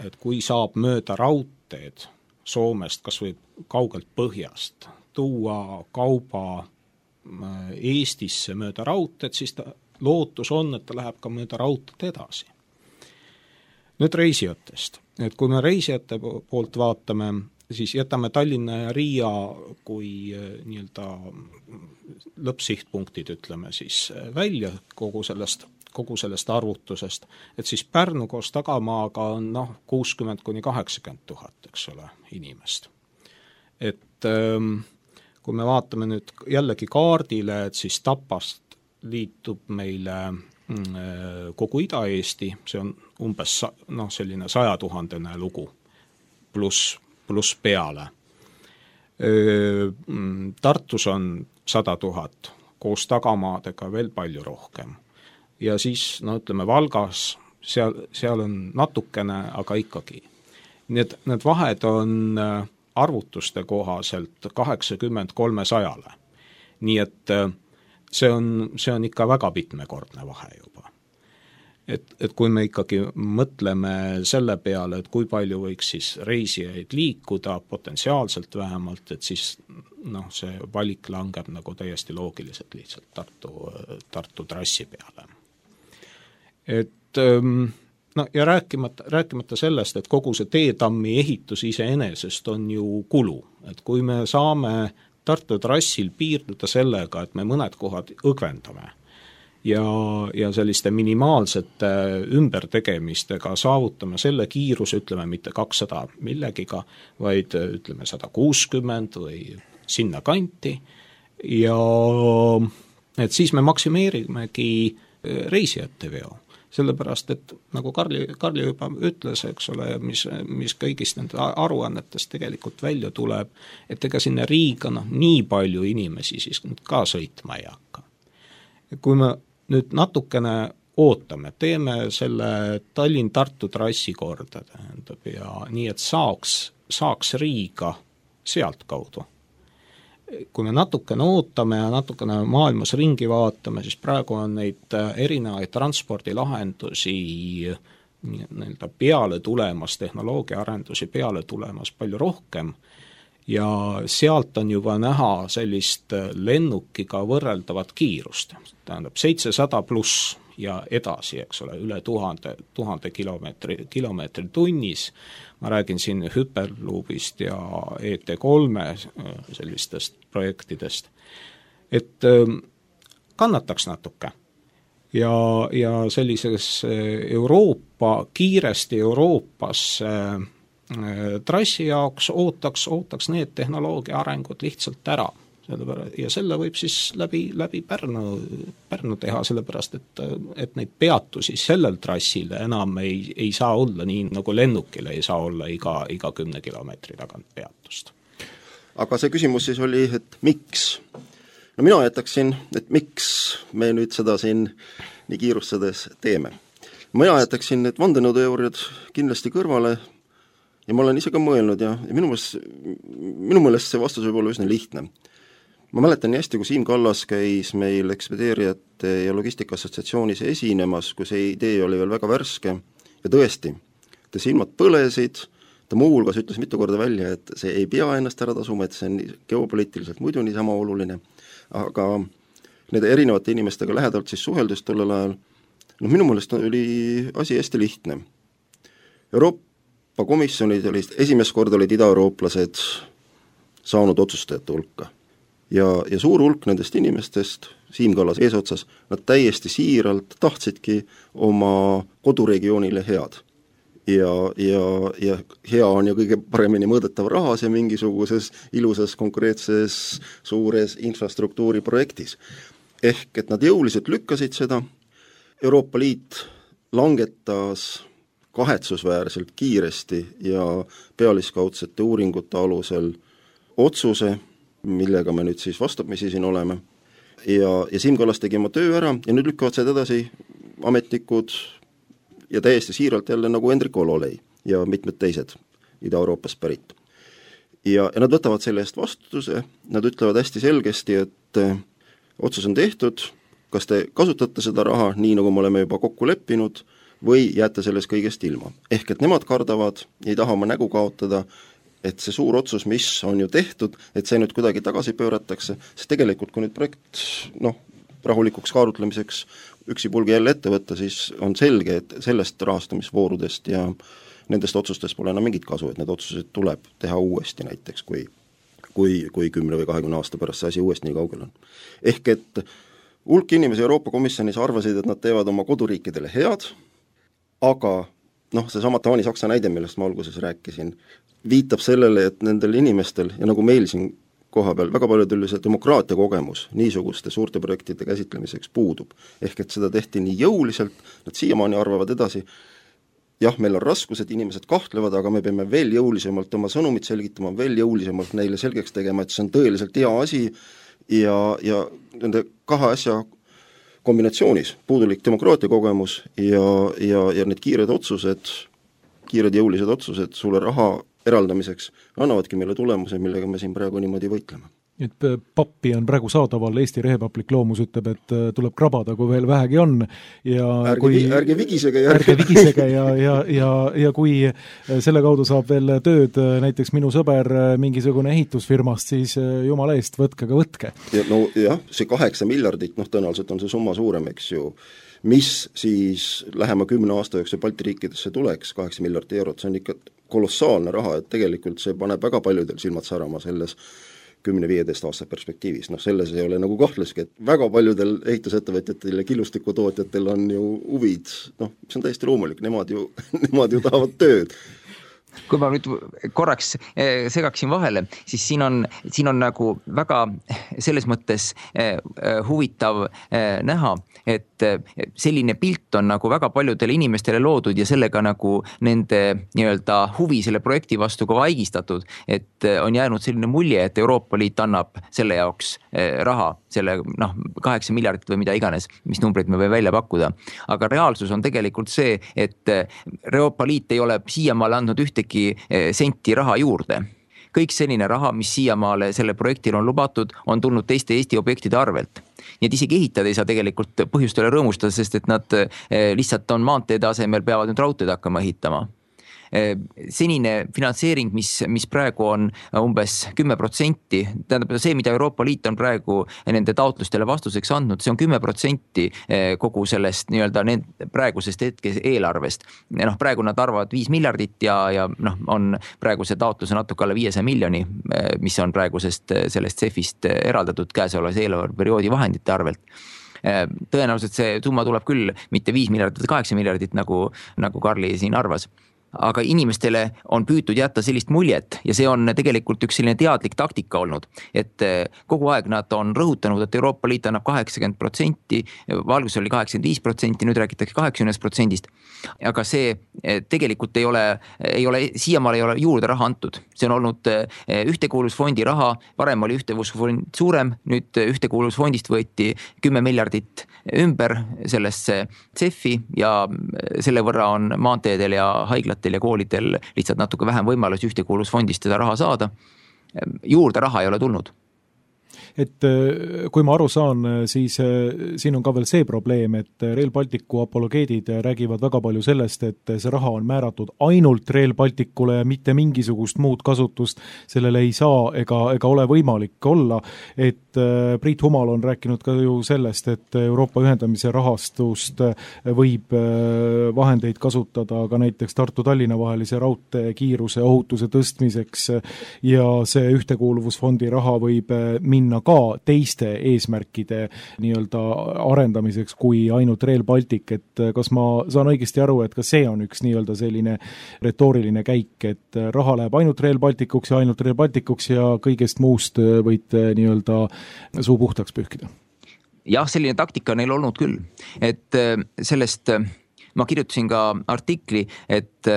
et kui saab mööda raudteed Soomest, kas või kaugelt põhjast, tuua kauba Eestisse mööda raudteed, siis ta, lootus on, et ta läheb ka mööda raudteed edasi. Nüüd reisijatest, et kui me reisijate poolt vaatame, siis jätame Tallinna ja Riia kui nii-öelda lõppsihtpunktid, ütleme siis välja kogu sellest, kogu sellest arvutusest, et siis Pärnu koos tagamaaga on noh, kuuskümmend kuni kaheksakümmend tuhat, eks ole, inimest. Et kui me vaatame nüüd jällegi kaardile, et siis Tapast liitub meile kogu Ida-Eesti, see on umbes noh, selline sajatuhandene lugu, pluss plus peale. Tartus on sada tuhat, koos tagamaadega veel palju rohkem. Ja siis, no ütleme, Valgas, seal, seal on natukene, aga ikkagi. Need, need vahed on arvutuste kohaselt kaheksakümmend kolmesajale. Nii et see on, see on ikka väga mitmekordne vahe juba. Et, et kui me ikkagi mõtleme selle peale, et kui palju võiks siis reisijaid liikuda, potentsiaalselt vähemalt, et siis noh, see valik langeb nagu täiesti loogiliselt lihtsalt Tartu, Tartu trassi peale. Et no ja rääkimata, rääkimata sellest, et kogu see teetammi ehitus iseenesest on ju kulu, et kui me saame Tartu trassil piirduda sellega, et me mõned kohad õgvendame ja, ja selliste minimaalsete ümbertegemistega saavutame selle kiiruse, ütleme mitte kakssada millegiga, vaid ütleme sada kuuskümmend või sinna kanti ja et siis me maksimeerimegi reisijate veo. Sellepärast, et nagu Karli, Karli juba ütles, eks ole, mis, mis kõigist nende aruannetest tegelikult välja tuleb, et ega sinna Riiga noh, nii palju inimesi siis ka sõitma ei hakka. Kui me nüüd natukene ootame, teeme selle Tallinn-Tartu trassi korda, tähendab, ja nii, et saaks, saaks Riiga sealt kaudu. Kui me natukene ootame ja natukene maailmas ringi vaatame, siis praegu on neid erinevaid transpordilahendusi nii-öelda peale tulemas, tehnoloogia arendusi peale tulemas palju rohkem ja sealt on juba näha sellist lennukiga võrreldavat kiirust, tähendab seitsesada pluss ja edasi, eks ole, üle tuhande, tuhande kilomeetri, kilomeetri tunnis. Ma räägin siin Hyperloopist ja E T kolme sellistest projektidest. Et kannataks natuke. Ja, ja sellises Euroopa, kiiresti Euroopas trassi jaoks ootaks, ootaks need tehnoloogia arengud lihtsalt ära. ja selle võib siis läbi, läbi Pärnu, Pärnu teha, sellepärast et, et neid peatusi sellel trassil enam ei, ei saa olla nii, nagu lennukile ei saa olla iga, iga kümne kilomeetri tagant peatust. Aga see küsimus siis oli, et miks? No mina jätaksin, et miks me nüüd seda siin nii kiirustades teeme. Mina jätaksin need vandenõuteooriad kindlasti kõrvale ja ma olen ise ka mõelnud ja, ja minu meelest, minu meelest see vastus võib olla üsna lihtne. Ma mäletan nii hästi, kui Siim Kallas käis meil Ekspedeerijate ja Logistika Assotsiatsioonis esinemas, kui see idee oli veel väga värske ja tõesti, ta silmad põlesid, ta muu hulgas ütles mitu korda välja, et see ei pea ennast ära tasuma, et see on geopoliitiliselt muidu niisama oluline, aga nende erinevate inimestega lähedalt siis suheldust tollel ajal, no minu meelest oli asi hästi lihtne. Euroopa komisjonid olid, esimest korda olid ida-eurooplased saanud otsustajate hulka. Ja, ja suur hulk nendest inimestest, Siim Kallas eesotsas, nad täiesti siiralt tahtsidki oma koduregioonile head. Ja, ja, ja hea on ju kõige paremini mõõdetav rahas ja mingisuguses ilusas konkreetses suures infrastruktuuri projektis. Ehk et nad jõuliselt lükkasid seda, Euroopa Liit langetas kahetsusväärselt kiiresti ja pealiskaudsete uuringute alusel otsuse, millega me nüüd siis vastamisi siin oleme. Ja, ja Siim Kallas tegi oma töö ära ja nüüd lükkavad seda edasi ametnikud ja täiesti siiralt jälle nagu Hendrik Ololei ja mitmed teised Ida-Euroopast pärit. Ja, ja nad võtavad selle eest vastutuse, nad ütlevad hästi selgesti, et otsus on tehtud, kas te kasutate seda raha nii, nagu me oleme juba kokku leppinud, või jääte sellest kõigest ilma. Ehk et nemad kardavad, ei taha oma nägu kaotada, et see suur otsus, mis on ju tehtud, et see nüüd kuidagi tagasi pööratakse, sest tegelikult kui nüüd projekt noh, rahulikuks kaarutlemiseks üksipulgi jälle ette võtta, siis on selge, et sellest rahastamisvoorudest ja nendest otsustest pole enam mingit kasu, et need otsused tuleb teha uuesti näiteks, kui, kui, kui kümne või kahekümne aasta pärast see asi uuesti nii kaugel on. Ehk et hulk inimesi Euroopa Komisjonis arvasid, et nad teevad oma koduriikidele head, aga noh, see sama Taani-Saksa näide, millest ma alguses rääkisin, viitab sellele, et nendel inimestel ja nagu meil siin koha peal väga paljudel see demokraatia kogemus niisuguste suurte projektide käsitlemiseks puudub. Ehk et seda tehti nii jõuliselt, nad siiamaani arvavad edasi, jah, meil on raskused, inimesed kahtlevad, aga me peame veel jõulisemalt oma sõnumit selgitama, veel jõulisemalt neile selgeks tegema, et see on tõeliselt hea asi ja, ja nende kahe asja kombinatsioonis, puudulik demokraatia kogemus ja, ja, ja need kiired otsused, kiired jõulised otsused sulle raha eraldamiseks annavadki meile tulemuse, millega me siin praegu niimoodi võitleme. Et pappi on praegu saadaval, Eesti rehepaplik loomus ütleb, et tuleb krabada, kui veel vähegi on. Ja ärge, kui, ärge vigisege. Ja ärge vigisege ja, ja, ja, ja kui selle kaudu saab veel tööd näiteks minu sõber mingisugune ehitusfirmast, siis jumala eest võtke ka võtke. Ja, no jah, see kaheksa miljardit, noh tõenäoliselt on see summa suurem, eks ju, mis siis lähema kümne aasta jooksul Balti riikidesse tuleks, kaheksa miljardit eurot, see on ikka kolossaalne raha, et tegelikult see paneb väga paljudel silmad särama selles kümne viieteist aasta perspektiivis. Noh, selles ei ole nagu kahtleski, et väga paljudel ehitusettevõtjatel ja killustikutootjatel on ju huvid, noh, see on täiesti loomulik, nemad ju, nemad ju tahavad tööd. Kui ma nüüd korraks segaksin vahele, siis siin on, siin on nagu väga selles mõttes huvitav näha, et selline pilt on nagu väga paljudele inimestele loodud ja sellega nagu nende nii-öelda huvi selle projekti vastu ka vaigistatud, et on jäänud selline mulje, et Euroopa Liit annab selle jaoks raha, selle noh, kaheksa miljardit või mida iganes, mis numbrid me võime välja pakkuda. Aga reaalsus on tegelikult see, et Euroopa Liit ei ole siiamaale andnud ühtegi senti raha juurde. Kõik selline raha, mis siiamaale selle projektil on lubatud, on tulnud teiste Eesti objektide arvelt. Nii et isegi ehitada ei saa tegelikult põhjustele rõõmustada, sest et nad lihtsalt on maanteede asemel, peavad nüüd raudteed hakkama ehitama. Senine finantseering, mis, mis praegu on umbes kümme protsenti, tähendab see, mida Euroopa Liit on praegu nende taotlustele vastuseks andnud, see on kümme protsenti kogu sellest nii-öelda praegusest hetkes eelarvest. Noh, praegu nad arvavad viis miljardit ja, ja noh, on praeguse taotluse natuke alla viiesaja miljoni, mis on praegusest sellest C E F-ist eraldatud käesolevas eelarveperioodi vahendite arvelt. Tõenäoliselt see summa tuleb küll mitte viis miljardit, kaheksa miljardit, nagu, nagu Karli siin arvas. aga inimestele on püütud jätta sellist muljet ja see on tegelikult üks selline teadlik taktika olnud, et kogu aeg nad on rõhutanud, et Euroopa Liit annab kaheksakümmend protsenti, valgus oli kaheksakümmend viis protsenti, nüüd räägitakse kaheksakümmend protsendist, aga see tegelikult ei ole, ei ole, siiamaal ei ole juurde raha antud. See on olnud ühtekuuluvusfondi raha, varem oli ühtekuuluvusfond suurem, nüüd ühtekuuluvusfondist võeti kümme miljardit ümber sellesse C E F-i ja selle võrra on maanteedel ja haiglatel ja koolidel lihtsalt natuke vähem võimalus ühtekuuluvusfondist seda raha saada. Juurde raha ei ole tulnud. Et kui ma aru saan, siis siin on ka veel see probleem, et Rail Balticu apologeedid räägivad väga palju sellest, et see raha on määratud ainult Rail Balticule ja mitte mingisugust muud kasutust sellele ei saa ega, ega ole võimalik olla. Et Priit Humal on rääkinud ka ju sellest, et Euroopa ühendamise rahastust võib vahendeid kasutada ka näiteks Tartu-Tallinna vahelise raudtee kiiruse ohutuse tõstmiseks ja see ühtekuuluvusfondi raha võib minna ka teiste eesmärkide nii-öelda arendamiseks kui ainult Rail Baltic, et kas ma saan õigesti aru, et ka see on üks nii-öelda selline retooriline käik, et raha läheb ainult Rail Balticuks ja ainult Rail Balticuks ja kõigest muust võid nii-öelda suu puhtaks pühkida? Jah, selline taktika neil olnud küll, et sellest ma kirjutasin ka artikli, et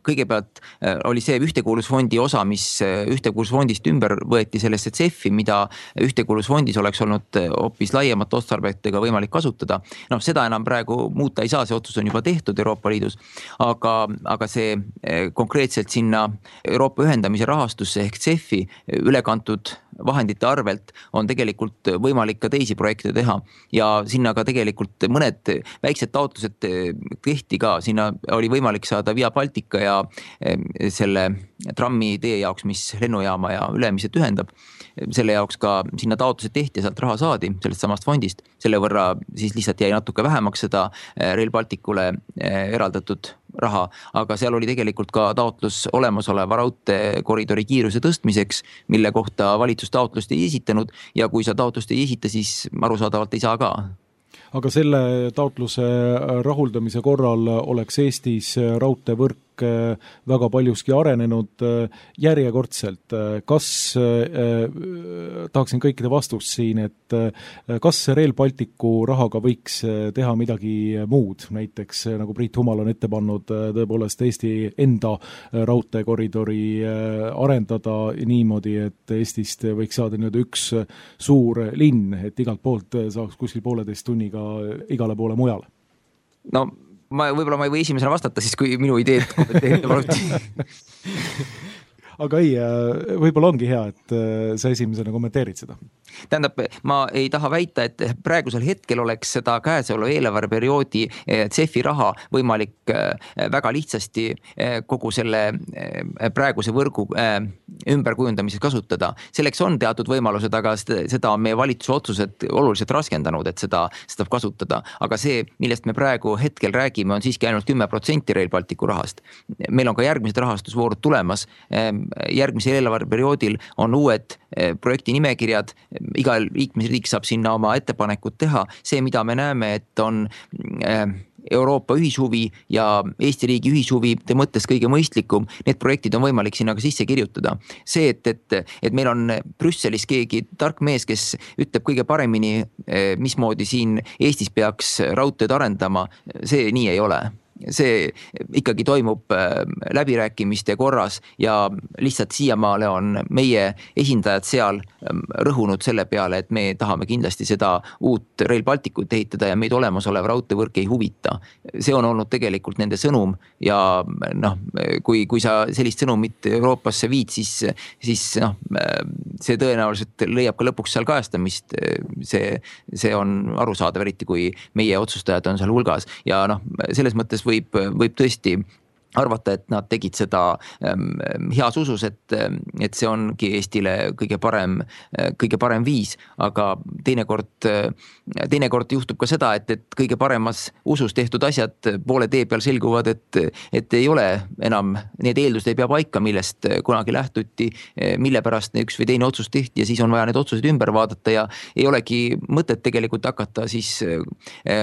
kõigepealt oli see ühtekuuluvusfondi osa, mis ühtekuuluvusfondist ümber võeti sellesse C E F-i, mida ühtekuuluvusfondis oleks olnud hoopis laiemat otstarbetega võimalik kasutada. No, seda enam praegu muuta ei saa, see otsus on juba tehtud Euroopa Liidus, aga, aga see konkreetselt sinna Euroopa ühendamise rahastusse ehk C E F-i ülekantud vahendite arvelt on tegelikult võimalik ka teisi projekte teha ja sinna ka tegelikult mõned väiksed taotlused tehti ka, sinna oli võimalik saada Via Baltica ja selle trammi tee jaoks, mis lennujaama ja Ülemised ühendab, selle jaoks ka sinna taotlused tehti ja sealt raha saadi sellest samast fondist, selle võrra siis lihtsalt jäi natuke vähemaks seda Rail Balticule eraldatud raha, aga seal oli tegelikult ka taotlus olemasoleva raudteekoridori kiiruse tõstmiseks, mille kohta valitsus taotlust ei esitanud ja kui sa taotlust ei esita, siis arusaadavalt ei saa ka. Aga selle taotluse rahuldamise korral oleks Eestis raudteevõrk väga paljuski arenenud järjekordselt. Kas, tahaksin kõikide vastust siin, et kas Rail Balticu rahaga võiks teha midagi muud, näiteks nagu Priit Humal on ette pannud tõepoolest Eesti enda raudteekoridori arendada niimoodi, et Eestist võiks saada nüüd üks suur linn, et igalt poolt saaks kuskil pooleteist tunniga igale poole mujale? No ma võib-olla ma ei või esimesena vastata, siis kui minu ideed kommenteerida paluti. Aga ei, võib-olla ongi hea, et sa esimesena kommenteerid seda. Tähendab, ma ei taha väita, et praegusel hetkel oleks seda käesoleva eelarveperioodi C E F-i raha võimalik väga lihtsasti kogu selle praeguse võrgu ümberkujundamises kasutada. Selleks on teatud võimalused, aga seda on meie valitsuse otsused oluliselt raskendanud, et seda saab kasutada. Aga see, millest me praegu hetkel räägime, on siiski ainult kümme protsenti Rail Balticu rahast. Meil on ka järgmised rahastusvoorud tulemas. Järgmisel eelarveperioodil on uued projekti nimekirjad, igal liikmesriik saab sinna oma ettepanekud teha. See, mida me näeme, et on Euroopa ühishuvi ja Eesti riigi ühishuvi te mõttes kõige mõistlikum, need projektid on võimalik sinna ka sisse kirjutada. See, et, et, et meil on Brüsselis keegi tark mees, kes ütleb kõige paremini, mismoodi siin Eestis peaks raudteed arendama, see nii ei ole. See ikkagi toimub läbirääkimiste korras ja lihtsalt siiamaale on meie esindajad seal rõhunud selle peale, et me tahame kindlasti seda uut Rail Balticut ehitada ja meid olemasolev raudteevõrk ei huvita. See on olnud tegelikult nende sõnum ja noh, kui, kui sa sellist sõnumit Euroopasse viid, siis, siis noh, see tõenäoliselt leiab ka lõpuks seal kajastamist. See, see on arusaadav, eriti kui meie otsustajad on seal hulgas ja noh, selles mõttes võib, võib tõesti arvata, et nad tegid seda heas usus, et, et see ongi Eestile kõige parem, kõige parem viis, aga teinekord, teinekord juhtub ka seda, et, et kõige paremas usus tehtud asjad poole tee peal selguvad, et, et ei ole enam, need eeldused ei pea paika, millest kunagi lähtuti, mille pärast üks või teine otsus tehti ja siis on vaja need otsused ümber vaadata ja ei olegi mõtet tegelikult hakata siis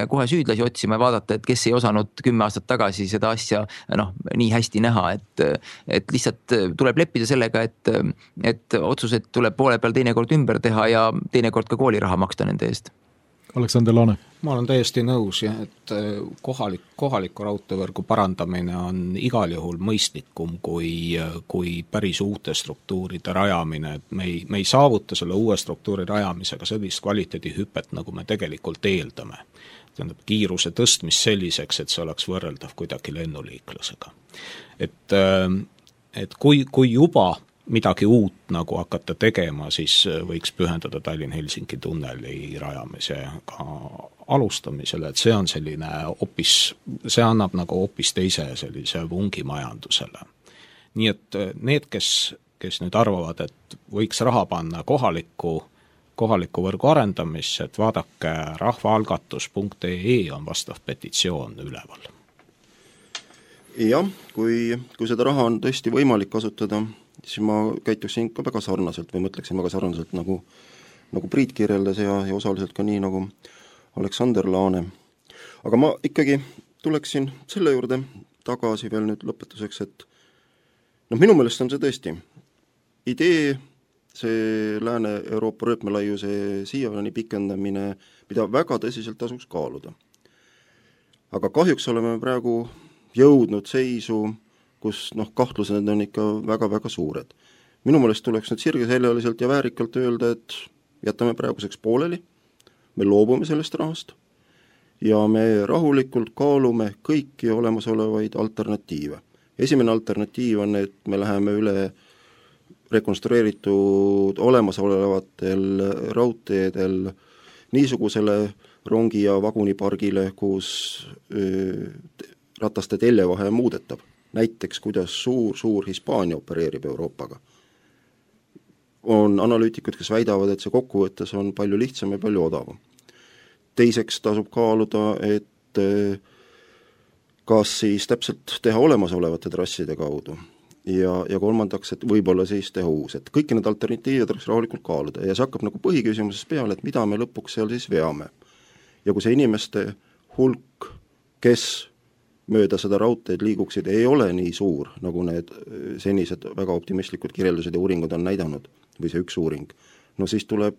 kohe süüdlasi otsima ja vaadata, et kes ei osanud kümme aastat tagasi seda asja noh, nii hästi näha, et, et lihtsalt tuleb leppida sellega, et, et otsused tuleb poole peal teinekord ümber teha ja teinekord ka kooliraha maksta nende eest. Aleksander Laane. Ma olen täiesti nõus, jah, et kohalik, kohaliku raudteevõrgu parandamine on igal juhul mõistlikum kui, kui päris uute struktuuride rajamine, et me ei, me ei saavuta selle uue struktuuri rajamisega sellist kvaliteedihüpet, nagu me tegelikult eeldame. Tähendab, kiiruse tõstmist selliseks, et see oleks võrreldav kuidagi lennuliiklusega. Et, et kui, kui juba midagi uut nagu hakata tegema, siis võiks pühendada Tallinn-Helsingi tunneli rajamisega alustamisele, et see on selline opis, see annab nagu opis teise sellise vungi majandusele. Nii et need, kes, kes nüüd arvavad, et võiks raha panna kohaliku, kohaliku võrgu arendamisse, et vaadake rahvaalgatus punkt ee on vastav petitsioon üleval. Jah, kui, kui seda raha on tõesti võimalik kasutada, siis ma käituksin ka väga sarnaselt või mõtleksin väga sarnaselt nagu, nagu Priit kirjeldas ja, ja osaliselt ka nii nagu Aleksander Laane. Aga ma ikkagi tuleksin selle juurde tagasi veel nüüd lõpetuseks, et noh, minu meelest on see tõesti idee, see Lääne-Euroopa rööpmelaiuse siiani pikendamine, mida väga tõsiselt tasuks kaaluda. Aga kahjuks oleme praegu jõudnud seisu, kus noh, kahtlused on ikka väga-väga suured. Minu meelest tuleks nüüd sirgeseljaliselt ja väärikalt öelda, et jätame praeguseks pooleli, me loobume sellest rahast ja me rahulikult kaalume kõiki olemasolevaid alternatiive. Esimene alternatiiv on, et me läheme üle rekonstrueeritud olemasolevatel raudteedel niisugusele rongi- ja vagunipargile, kus öö, rataste teljevahe muudetab. Näiteks, kuidas suur-suur Hispaania opereerib Euroopaga. On analüütikud, kes väidavad, et see kokkuvõttes on palju lihtsam ja palju odavam. Teiseks tasub kaaluda, et kas siis täpselt teha olemasolevate trasside kaudu ja, ja kolmandaks, et võib-olla siis teha uus. Et kõiki need alternatiivid oleks rahulikult kaaluda ja see hakkab nagu põhiküsimuses peale, et mida me lõpuks seal siis veame. Ja kui see inimeste hulk, kes mööda seda raudteed liiguksid, ei ole nii suur, nagu need senised väga optimistlikud kirjeldused ja uuringud on näidanud, või see üks uuring, no siis tuleb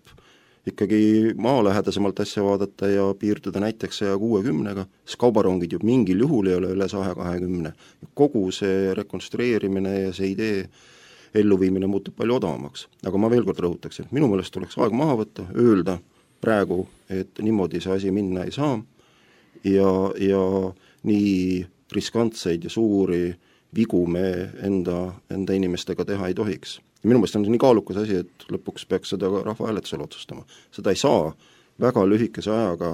ikkagi maalähedasemalt asja vaadata ja piirduda näiteks saja kuuekümnega, sest kaubarongid ju mingil juhul ei ole üle saja kahekümne. Kogu see rekonstrueerimine ja see idee elluviimine muutub palju odavamaks. Aga ma veel kord rõhutaks, et minu meelest tuleks aeg maha võtta, öelda praegu, et niimoodi see asi minna ei saa ja, ja nii riskantseid ja suuri vigu me enda, enda inimestega teha ei tohiks. Ja minu meelest on see nii kaalukas asi, et lõpuks peaks seda rahvahääletusel otsustama. Seda ei saa väga lühikese ajaga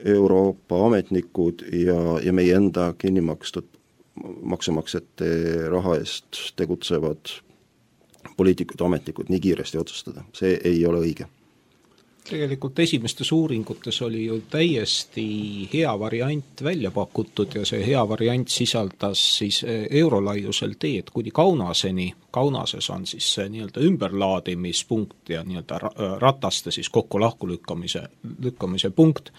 Euroopa ametnikud ja, ja meie enda kinni makstud maksumaksjate raha eest tegutsevad poliitikud, ametnikud nii kiiresti otsustada. See ei ole õige. Tegelikult esimestes uuringutes oli ju täiesti hea variant välja pakutud ja see hea variant sisaldas siis eurolaiusel teed kuni Kaunaseni. Kaunases on siis see nii-öelda ümberlaadimispunkt ja nii-öelda rataste siis kokku lahku lükkamise, lükkamise punkt,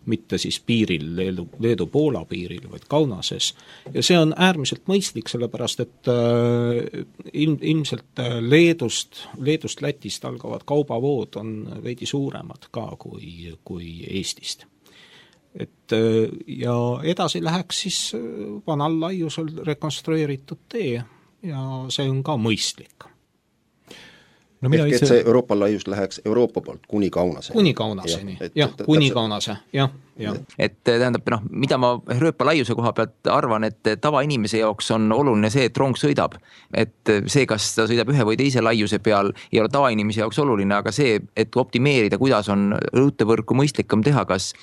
mitte siis piiril, Leedu, Leedu-Poola piiril, vaid Kaunases. Ja see on äärmiselt mõistlik, sellepärast et äh, ilm, ilmselt Leedust, Leedust Lätist algavad kaubavood on veidi suuremad ka kui, kui Eestist. Et, äh, ja edasi läheks siis vanal laiusel rekonstrueeritud tee ja see on ka mõistlik. No ehk ise... et see Euroopa laius läheks Euroopa poolt kuni Kaunaseni. Kuni Kaunaseni, jah, jah, kuni Kaunase, jah. Ja. Et tähendab, noh, mida ma rööpa laiuse koha pealt arvan, et tavainimese jaoks on oluline see, et rong sõidab. Et see, kas ta sõidab ühe või teise laiuse peal, ei ole tavainimese jaoks oluline, aga see, et optimeerida, kuidas on raudteevõrku mõistlikam teha, kas,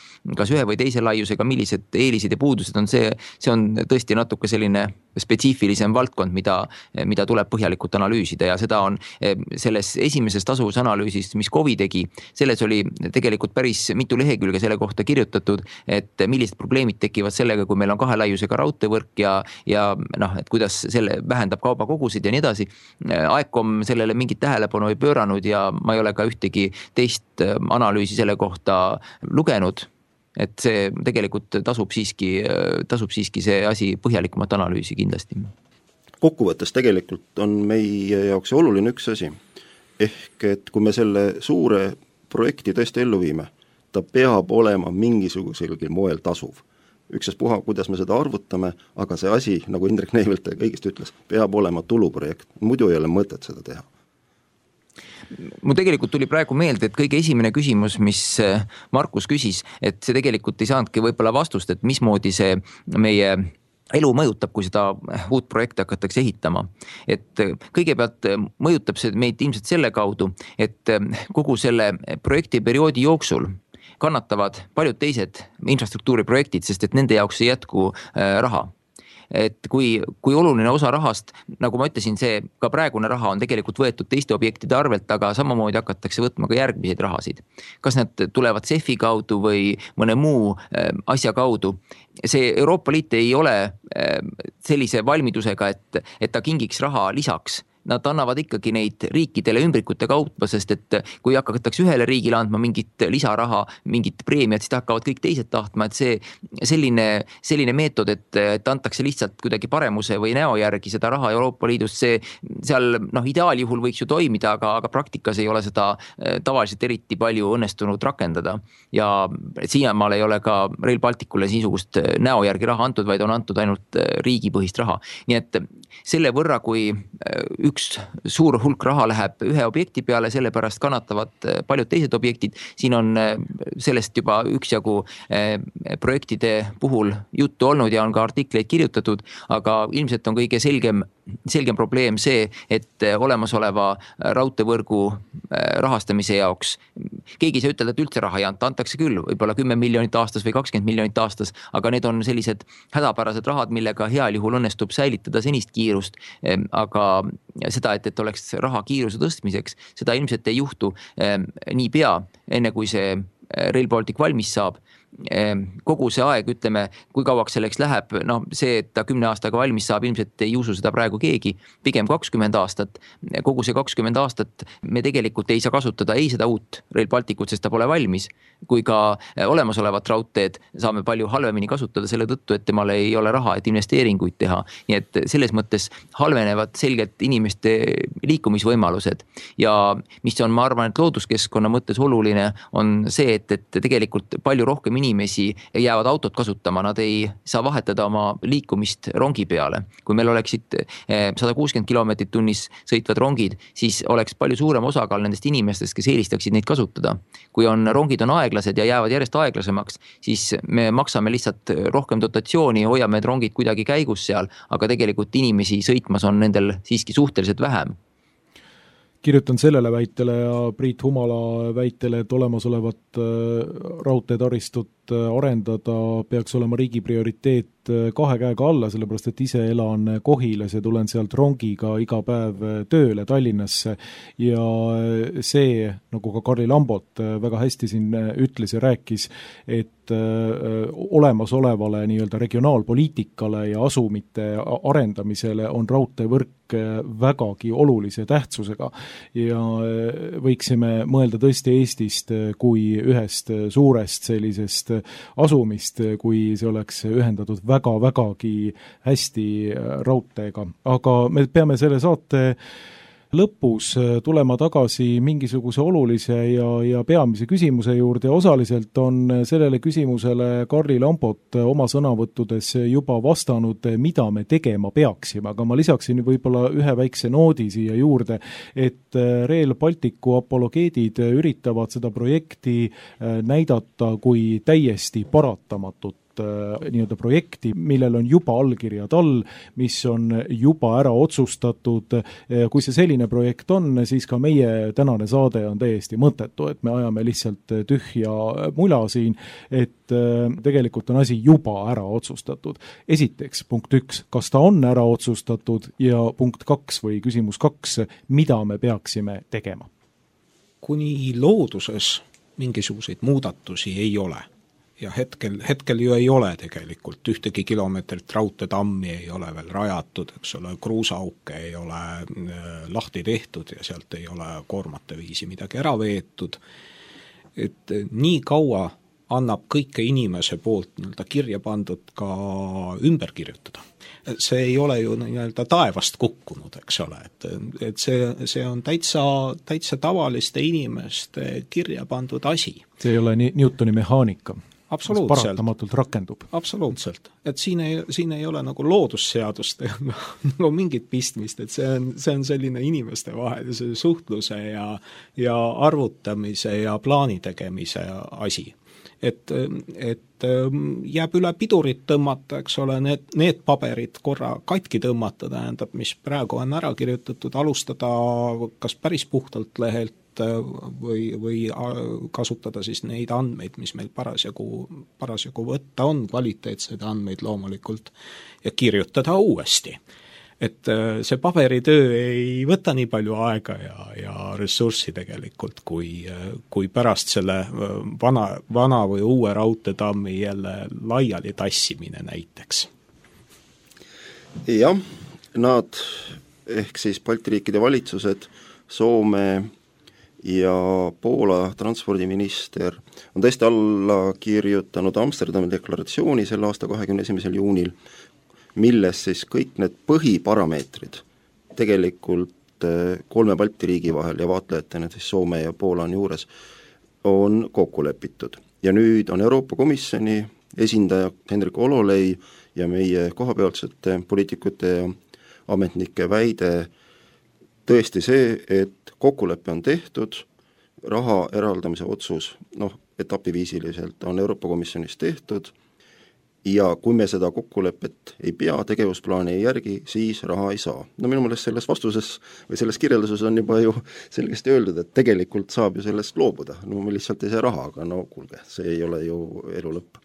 kas ühe või teise laiusega, millised eelised ja puudused on see, see on tõesti natuke selline spetsiifilisem valdkond, mida, mida tuleb põhjalikult analüüsida ja seda on selles esimeses tasuvusanalüüsis, mis Kovi tegi, selles oli tegelikult päris mitu lehekülge selle kohta kirjutatud, et millised probleemid tekivad sellega, kui meil on kahe laiusega raudteevõrk ja, ja noh, et kuidas selle vähendab kaubakogusid ja nii edasi. Aekom sellele mingit tähelepanu ei pööranud ja ma ei ole ka ühtegi teist analüüsi selle kohta lugenud. et see tegelikult tasub siiski, tasub siiski see asi põhjalikumat analüüsi kindlasti. Kokkuvõttes tegelikult on meie jaoks oluline üks asi, ehk et kui me selle suure projekti tõesti ellu viime, ta peab olema mingisuguselgi moel tasuv. Ükstaspuha, kuidas me seda arvutame, aga see asi, nagu Indrek Neivelt kõigest ütles, peab olema tuluprojekt, muidu ei ole mõtet seda teha. Mul tegelikult tuli praegu meelde, et kõige esimene küsimus, mis Markus küsis, et see tegelikult ei saanudki võib-olla vastust, et mismoodi see meie elu mõjutab, kui seda uut projekti hakatakse ehitama. Et kõigepealt mõjutab see meid ilmselt selle kaudu, et kogu selle projekti perioodi jooksul kannatavad paljud teised infrastruktuuriprojektid, sest et nende jaoks ei jätku raha. Et kui, kui oluline osa rahast, nagu ma ütlesin, see ka praegune raha on tegelikult võetud teiste objektide arvelt, aga samamoodi hakatakse võtma ka järgmiseid rahasid. Kas need tulevad C E F-i kaudu või mõne muu asja kaudu? See Euroopa Liit ei ole sellise valmidusega, et, et ta kingiks raha lisaks. Nad annavad ikkagi neid riikidele ümbrikute kaupa, sest et kui hakatakse ühele riigile andma mingit lisaraha, mingit preemiat, siis hakkavad kõik teised tahtma, et see selline, selline meetod, et, et antakse lihtsalt kuidagi paremuse või näo järgi seda raha Euroopa Liidust, see seal noh, ideaaljuhul võiks ju toimida, aga, aga praktikas ei ole seda tavaliselt eriti palju õnnestunud rakendada. Ja siiamaal ei ole ka Rail Balticule niisugust näo järgi raha antud, vaid on antud ainult riigipõhist raha. Nii et selle võrra, kui üks suur hulk raha läheb ühe objekti peale, sellepärast kannatavad paljud teised objektid. Siin on sellest juba üksjagu projektide puhul juttu olnud ja on ka artikleid kirjutatud, aga ilmselt on kõige selgem, selgem probleem see, et olemasoleva raudteevõrgu rahastamise jaoks keegi ei saa ütelda, et üldse raha ei anta, antakse küll, võib-olla kümme miljonit aastas või kakskümmend miljonit aastas, aga need on sellised hädapärased rahad, millega heal juhul õnnestub säilitada senist kiirust, aga seda, et, et oleks raha kiiruse tõstmiseks, seda ilmselt ei juhtu nii pea, enne kui see Rail Baltic valmis saab. Kogu see aeg, ütleme, kui kauaks selleks läheb, no see, et ta kümne aastaga valmis saab, ilmselt ei usu seda praegu keegi, pigem kakskümmend aastat. Kogu see kakskümmend aastat me tegelikult ei saa kasutada ei seda uut Rail Balticut, sest ta pole valmis, kui ka olemasolevat raudteed saame palju halvemini kasutada selle tõttu, et temal ei ole raha, et investeeringuid teha. Nii et selles mõttes halvenevad selgelt inimeste liikumisvõimalused. Ja mis on, ma arvan, et looduskeskkonna mõttes oluline, on see, et, et tegelikult palju rohkem inimesi jäävad autot kasutama, nad ei saa vahetada oma liikumist rongi peale. Kui meil oleksid sada kuuskümmend kilomeetrit tunnis sõitvad rongid, siis oleks palju suurem osakaal nendest inimestest, kes eelistaksid neid kasutada. Kui on rongid on aeglased ja jäävad järjest aeglasemaks, siis me maksame lihtsalt rohkem dotatsiooni, hoiame need rongid kuidagi käigus seal, aga tegelikult inimesi sõitmas on nendel siiski suhteliselt vähem. Kirjutan sellele väitele ja Priit Humala väitele, et olemasolevat raudteetaristut arendada peaks olema riigi prioriteet kahe käega alla, sellepärast et ise elan Kohilas ja tulen sealt rongiga iga päev tööle Tallinnasse ja see, nagu ka Karli Lambot väga hästi siin ütles ja rääkis, et olemasolevale nii-öelda regionaalpoliitikale ja asumite arendamisele on raudteevõrk vägagi olulise tähtsusega ja võiksime mõelda tõesti Eestist kui ühest suurest sellisest asumist, kui see oleks ühendatud väga-vägagi hästi raudteega. Aga me peame selle saate lõpus tulema tagasi mingisuguse olulise ja, ja peamise küsimuse juurde ja osaliselt on sellele küsimusele Karli Lambot oma sõnavõttudes juba vastanud, mida me tegema peaksime, aga ma lisaksin võib-olla ühe väikse noodi siia juurde, et Rail Balticu apologeedid üritavad seda projekti näidata kui täiesti paratamatut nii-öelda projekti, millel on juba allkirjad all, mis on juba ära otsustatud. Kui see selline projekt on, siis ka meie tänane saade on täiesti mõttetu, et me ajame lihtsalt tühja mula siin, et tegelikult on asi juba ära otsustatud. Esiteks, punkt üks, kas ta on ära otsustatud ja punkt kaks või küsimus kaks, mida me peaksime tegema? Kuni looduses mingisuguseid muudatusi ei ole. Ja hetkel, hetkel ju ei ole tegelikult ühtegi kilomeetrit raudteetammi ei ole veel rajatud, eks ole, kruusauke ei ole lahti tehtud ja sealt ei ole koormate viisi midagi ära veetud. Et nii kaua annab kõike inimese poolt nii-öelda kirja pandud ka ümber kirjutada. See ei ole ju nii-öelda taevast kukkunud, eks ole, et, et see, see on täitsa, täitsa tavaliste inimeste kirja pandud asi. See ei ole nii Newtoni mehaanika. Absoluutselt. Paratamatult rakendub. Absoluutselt. Et siin ei, siin ei ole nagu loodusseadust nagu mingit pistmist, et see on, see on selline inimeste vahel see suhtluse ja, ja arvutamise ja plaani tegemise asi. Et, et jääb üle pidurit tõmmata, eks ole, need, need paberid korra katki tõmmata, tähendab, mis praegu on ära kirjutatud, alustada kas päris puhtalt lehelt või, või kasutada siis neid andmeid, mis meil parasjagu, parasjagu võtta on, kvaliteetseid andmeid loomulikult, ja kirjutada uuesti. Et see paberitöö ei võta nii palju aega ja, ja ressurssi tegelikult, kui, kui pärast selle vana, vana või uue raudteetammi jälle laiali tassimine näiteks. Jah, nad ehk siis Balti riikide valitsused, Soome ja Poola transpordiminister on tõesti alla kirjutanud Amsterdami deklaratsiooni selle aasta kahekümne esimesel juunil, milles siis kõik need põhiparameetrid tegelikult kolme Balti riigi vahel ja vaatlejatena siis Soome ja Poola on juures, on kokku lepitud. Ja nüüd on Euroopa Komisjoni esindaja Henrik Ololei ja meie kohapealsete poliitikute ja ametnike väide tõesti see, et kokkulepe on tehtud, raha eraldamise otsus, noh, etapiviisiliselt on Euroopa Komisjonis tehtud ja kui me seda kokkulepet ei pea, tegevusplaani ei järgi, siis raha ei saa. No minu meelest selles vastuses või selles kirjelduses on juba ju selgesti öeldud, et tegelikult saab ju sellest loobuda. No me lihtsalt ei saa raha, aga no kuulge, see ei ole ju elu lõpp.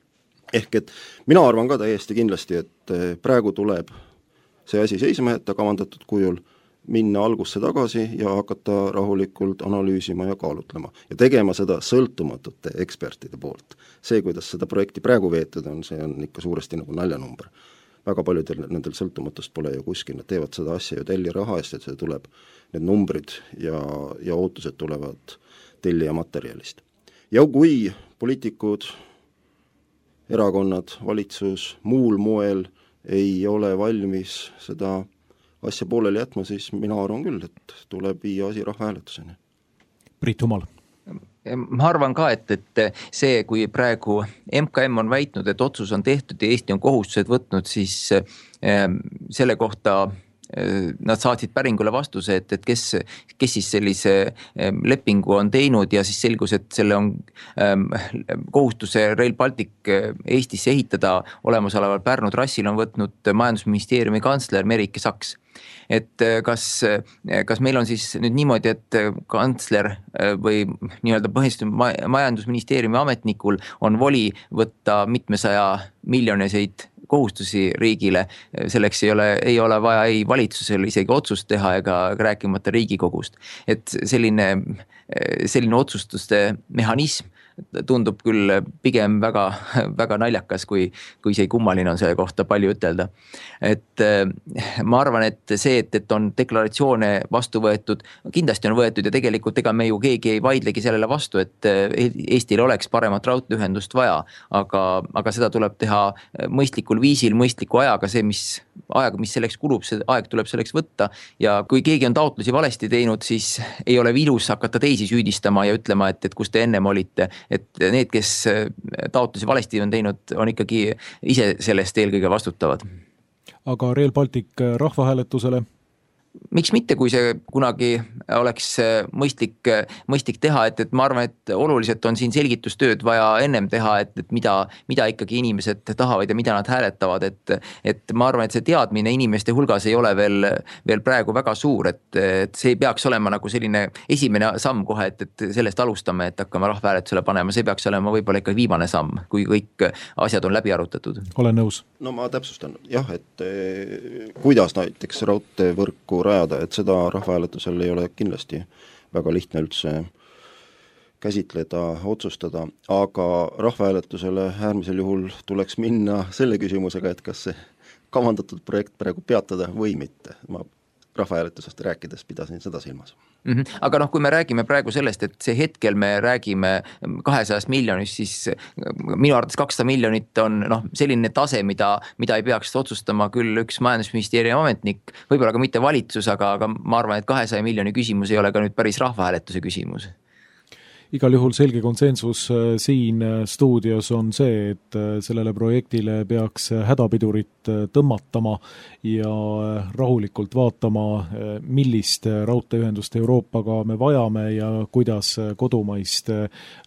Ehk et mina arvan ka täiesti kindlasti, et praegu tuleb see asi seisma jätta kavandatud kujul, minna algusse tagasi ja hakata rahulikult analüüsima ja kaalutlema. Ja tegema seda sõltumatute ekspertide poolt. See, kuidas seda projekti praegu veetud on, see on ikka suuresti nagu naljanumber. Väga paljudel nendel sõltumatust pole ju kuskil, nad teevad seda asja ju telli raha eest, et see tuleb, need numbrid ja, ja ootused tulevad telli ja materjalist. Ja kui poliitikud, erakonnad, valitsus, muul moel ei ole valmis seda asja pooleli jätma, siis mina arvan küll, et tuleb viia asi rahvahääletuseni. Priit Humal. Ma arvan ka, et, et see, kui praegu M K M on väitnud, et otsus on tehtud ja Eesti on kohustused võtnud, siis selle kohta nad saatsid päringule vastuse, et, et kes, kes siis sellise lepingu on teinud ja siis selgus, et selle on kohustuse Rail Baltic Eestisse ehitada olemasoleval Pärnu trassil on võtnud majandusministeeriumi kantsler Merike Saks. Et kas, kas meil on siis nüüd niimoodi, et kantsler või nii-öelda põhiliselt majandusministeeriumi ametnikul on voli võtta mitmesaja miljoniseid kohustusi riigile, selleks ei ole, ei ole vaja ei valitsusel isegi otsust teha ega rääkimata Riigikogust. Et selline, selline otsustuste mehhanism tundub küll pigem väga, väga naljakas, kui, kui see kummaline on selle kohta palju ütelda. Et ma arvan, et see, et, et on deklaratsioone vastu võetud, kindlasti on võetud ja tegelikult ega me ju keegi ei vaidlegi sellele vastu, et Eestil oleks paremat raudteeühendust vaja, aga, aga seda tuleb teha mõistlikul viisil, mõistliku ajaga, see, mis aeg, mis selleks kulub, see aeg tuleb selleks võtta ja kui keegi on taotlusi valesti teinud, siis ei ole vilus hakata teisi süüdistama ja ütlema, et, et kus te ennem olite, et need, kes taotlusi valesti on teinud, on ikkagi ise sellest eelkõige vastutavad. Aga Rail Baltic rahvahääletusele? Miks mitte, kui see kunagi oleks mõistlik, mõistlik teha, et, et ma arvan, et oluliselt on siin selgitustööd vaja ennem teha, et, et mida, mida ikkagi inimesed tahavad ja mida nad hääletavad, et, et ma arvan, et see teadmine inimeste hulgas ei ole veel, veel praegu väga suur, et, et see ei peaks olema nagu selline esimene samm kohe, et, et sellest alustame, et hakkame rahvahääletusele panema, see peaks olema võib-olla ikka viimane samm, kui kõik asjad on läbi arutatud. Olen nõus. No ma täpsustan, jah, et eh, kuidas näiteks raudteevõrku rajada, et seda rahvahääletusel ei ole kindlasti väga lihtne üldse käsitleda, otsustada, aga rahvahääletusele äärmisel juhul tuleks minna selle küsimusega, et kas see kavandatud projekt praegu peatada või mitte. Ma rahvahääletusest rääkides pidasin seda silmas. Mm -hmm. Aga noh, kui me räägime praegu sellest, et see hetkel me räägime kahesajast miljonist, siis minu arvates kakssada miljonit on noh, selline tase, mida, mida ei peaks otsustama küll üks majandusministeeriumi ametnik, võib-olla ka mitte valitsus, aga, aga ma arvan, et kahesaja miljoni küsimus ei ole ka nüüd päris rahvahääletuse küsimus. Igal juhul selge konsensus siin stuudios on see, et sellele projektile peaks hädapidurit tõmmatama ja rahulikult vaatama, millist raudteeühendust Euroopaga me vajame ja kuidas kodumaist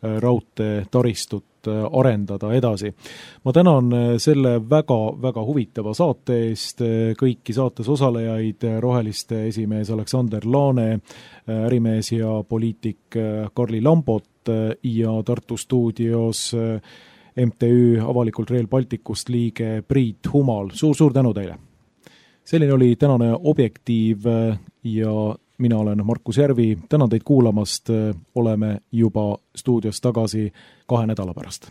raudteetaristut arendada edasi. Ma tänan selle väga-väga huvitava saate eest kõiki saates osalejaid, Roheliste esimees Aleksander Laane, ärimees ja poliitik Karli Lambot ja Tartu stuudios M T Ü avalikult Rail Balticust liige Priit Humal. Suur-suur tänu teile! Selline oli tänane Objektiiv ja mina olen Markus Järvi. Tänan teid kuulamast. Oleme juba stuudios tagasi kahe nädala pärast.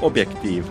Objektiiv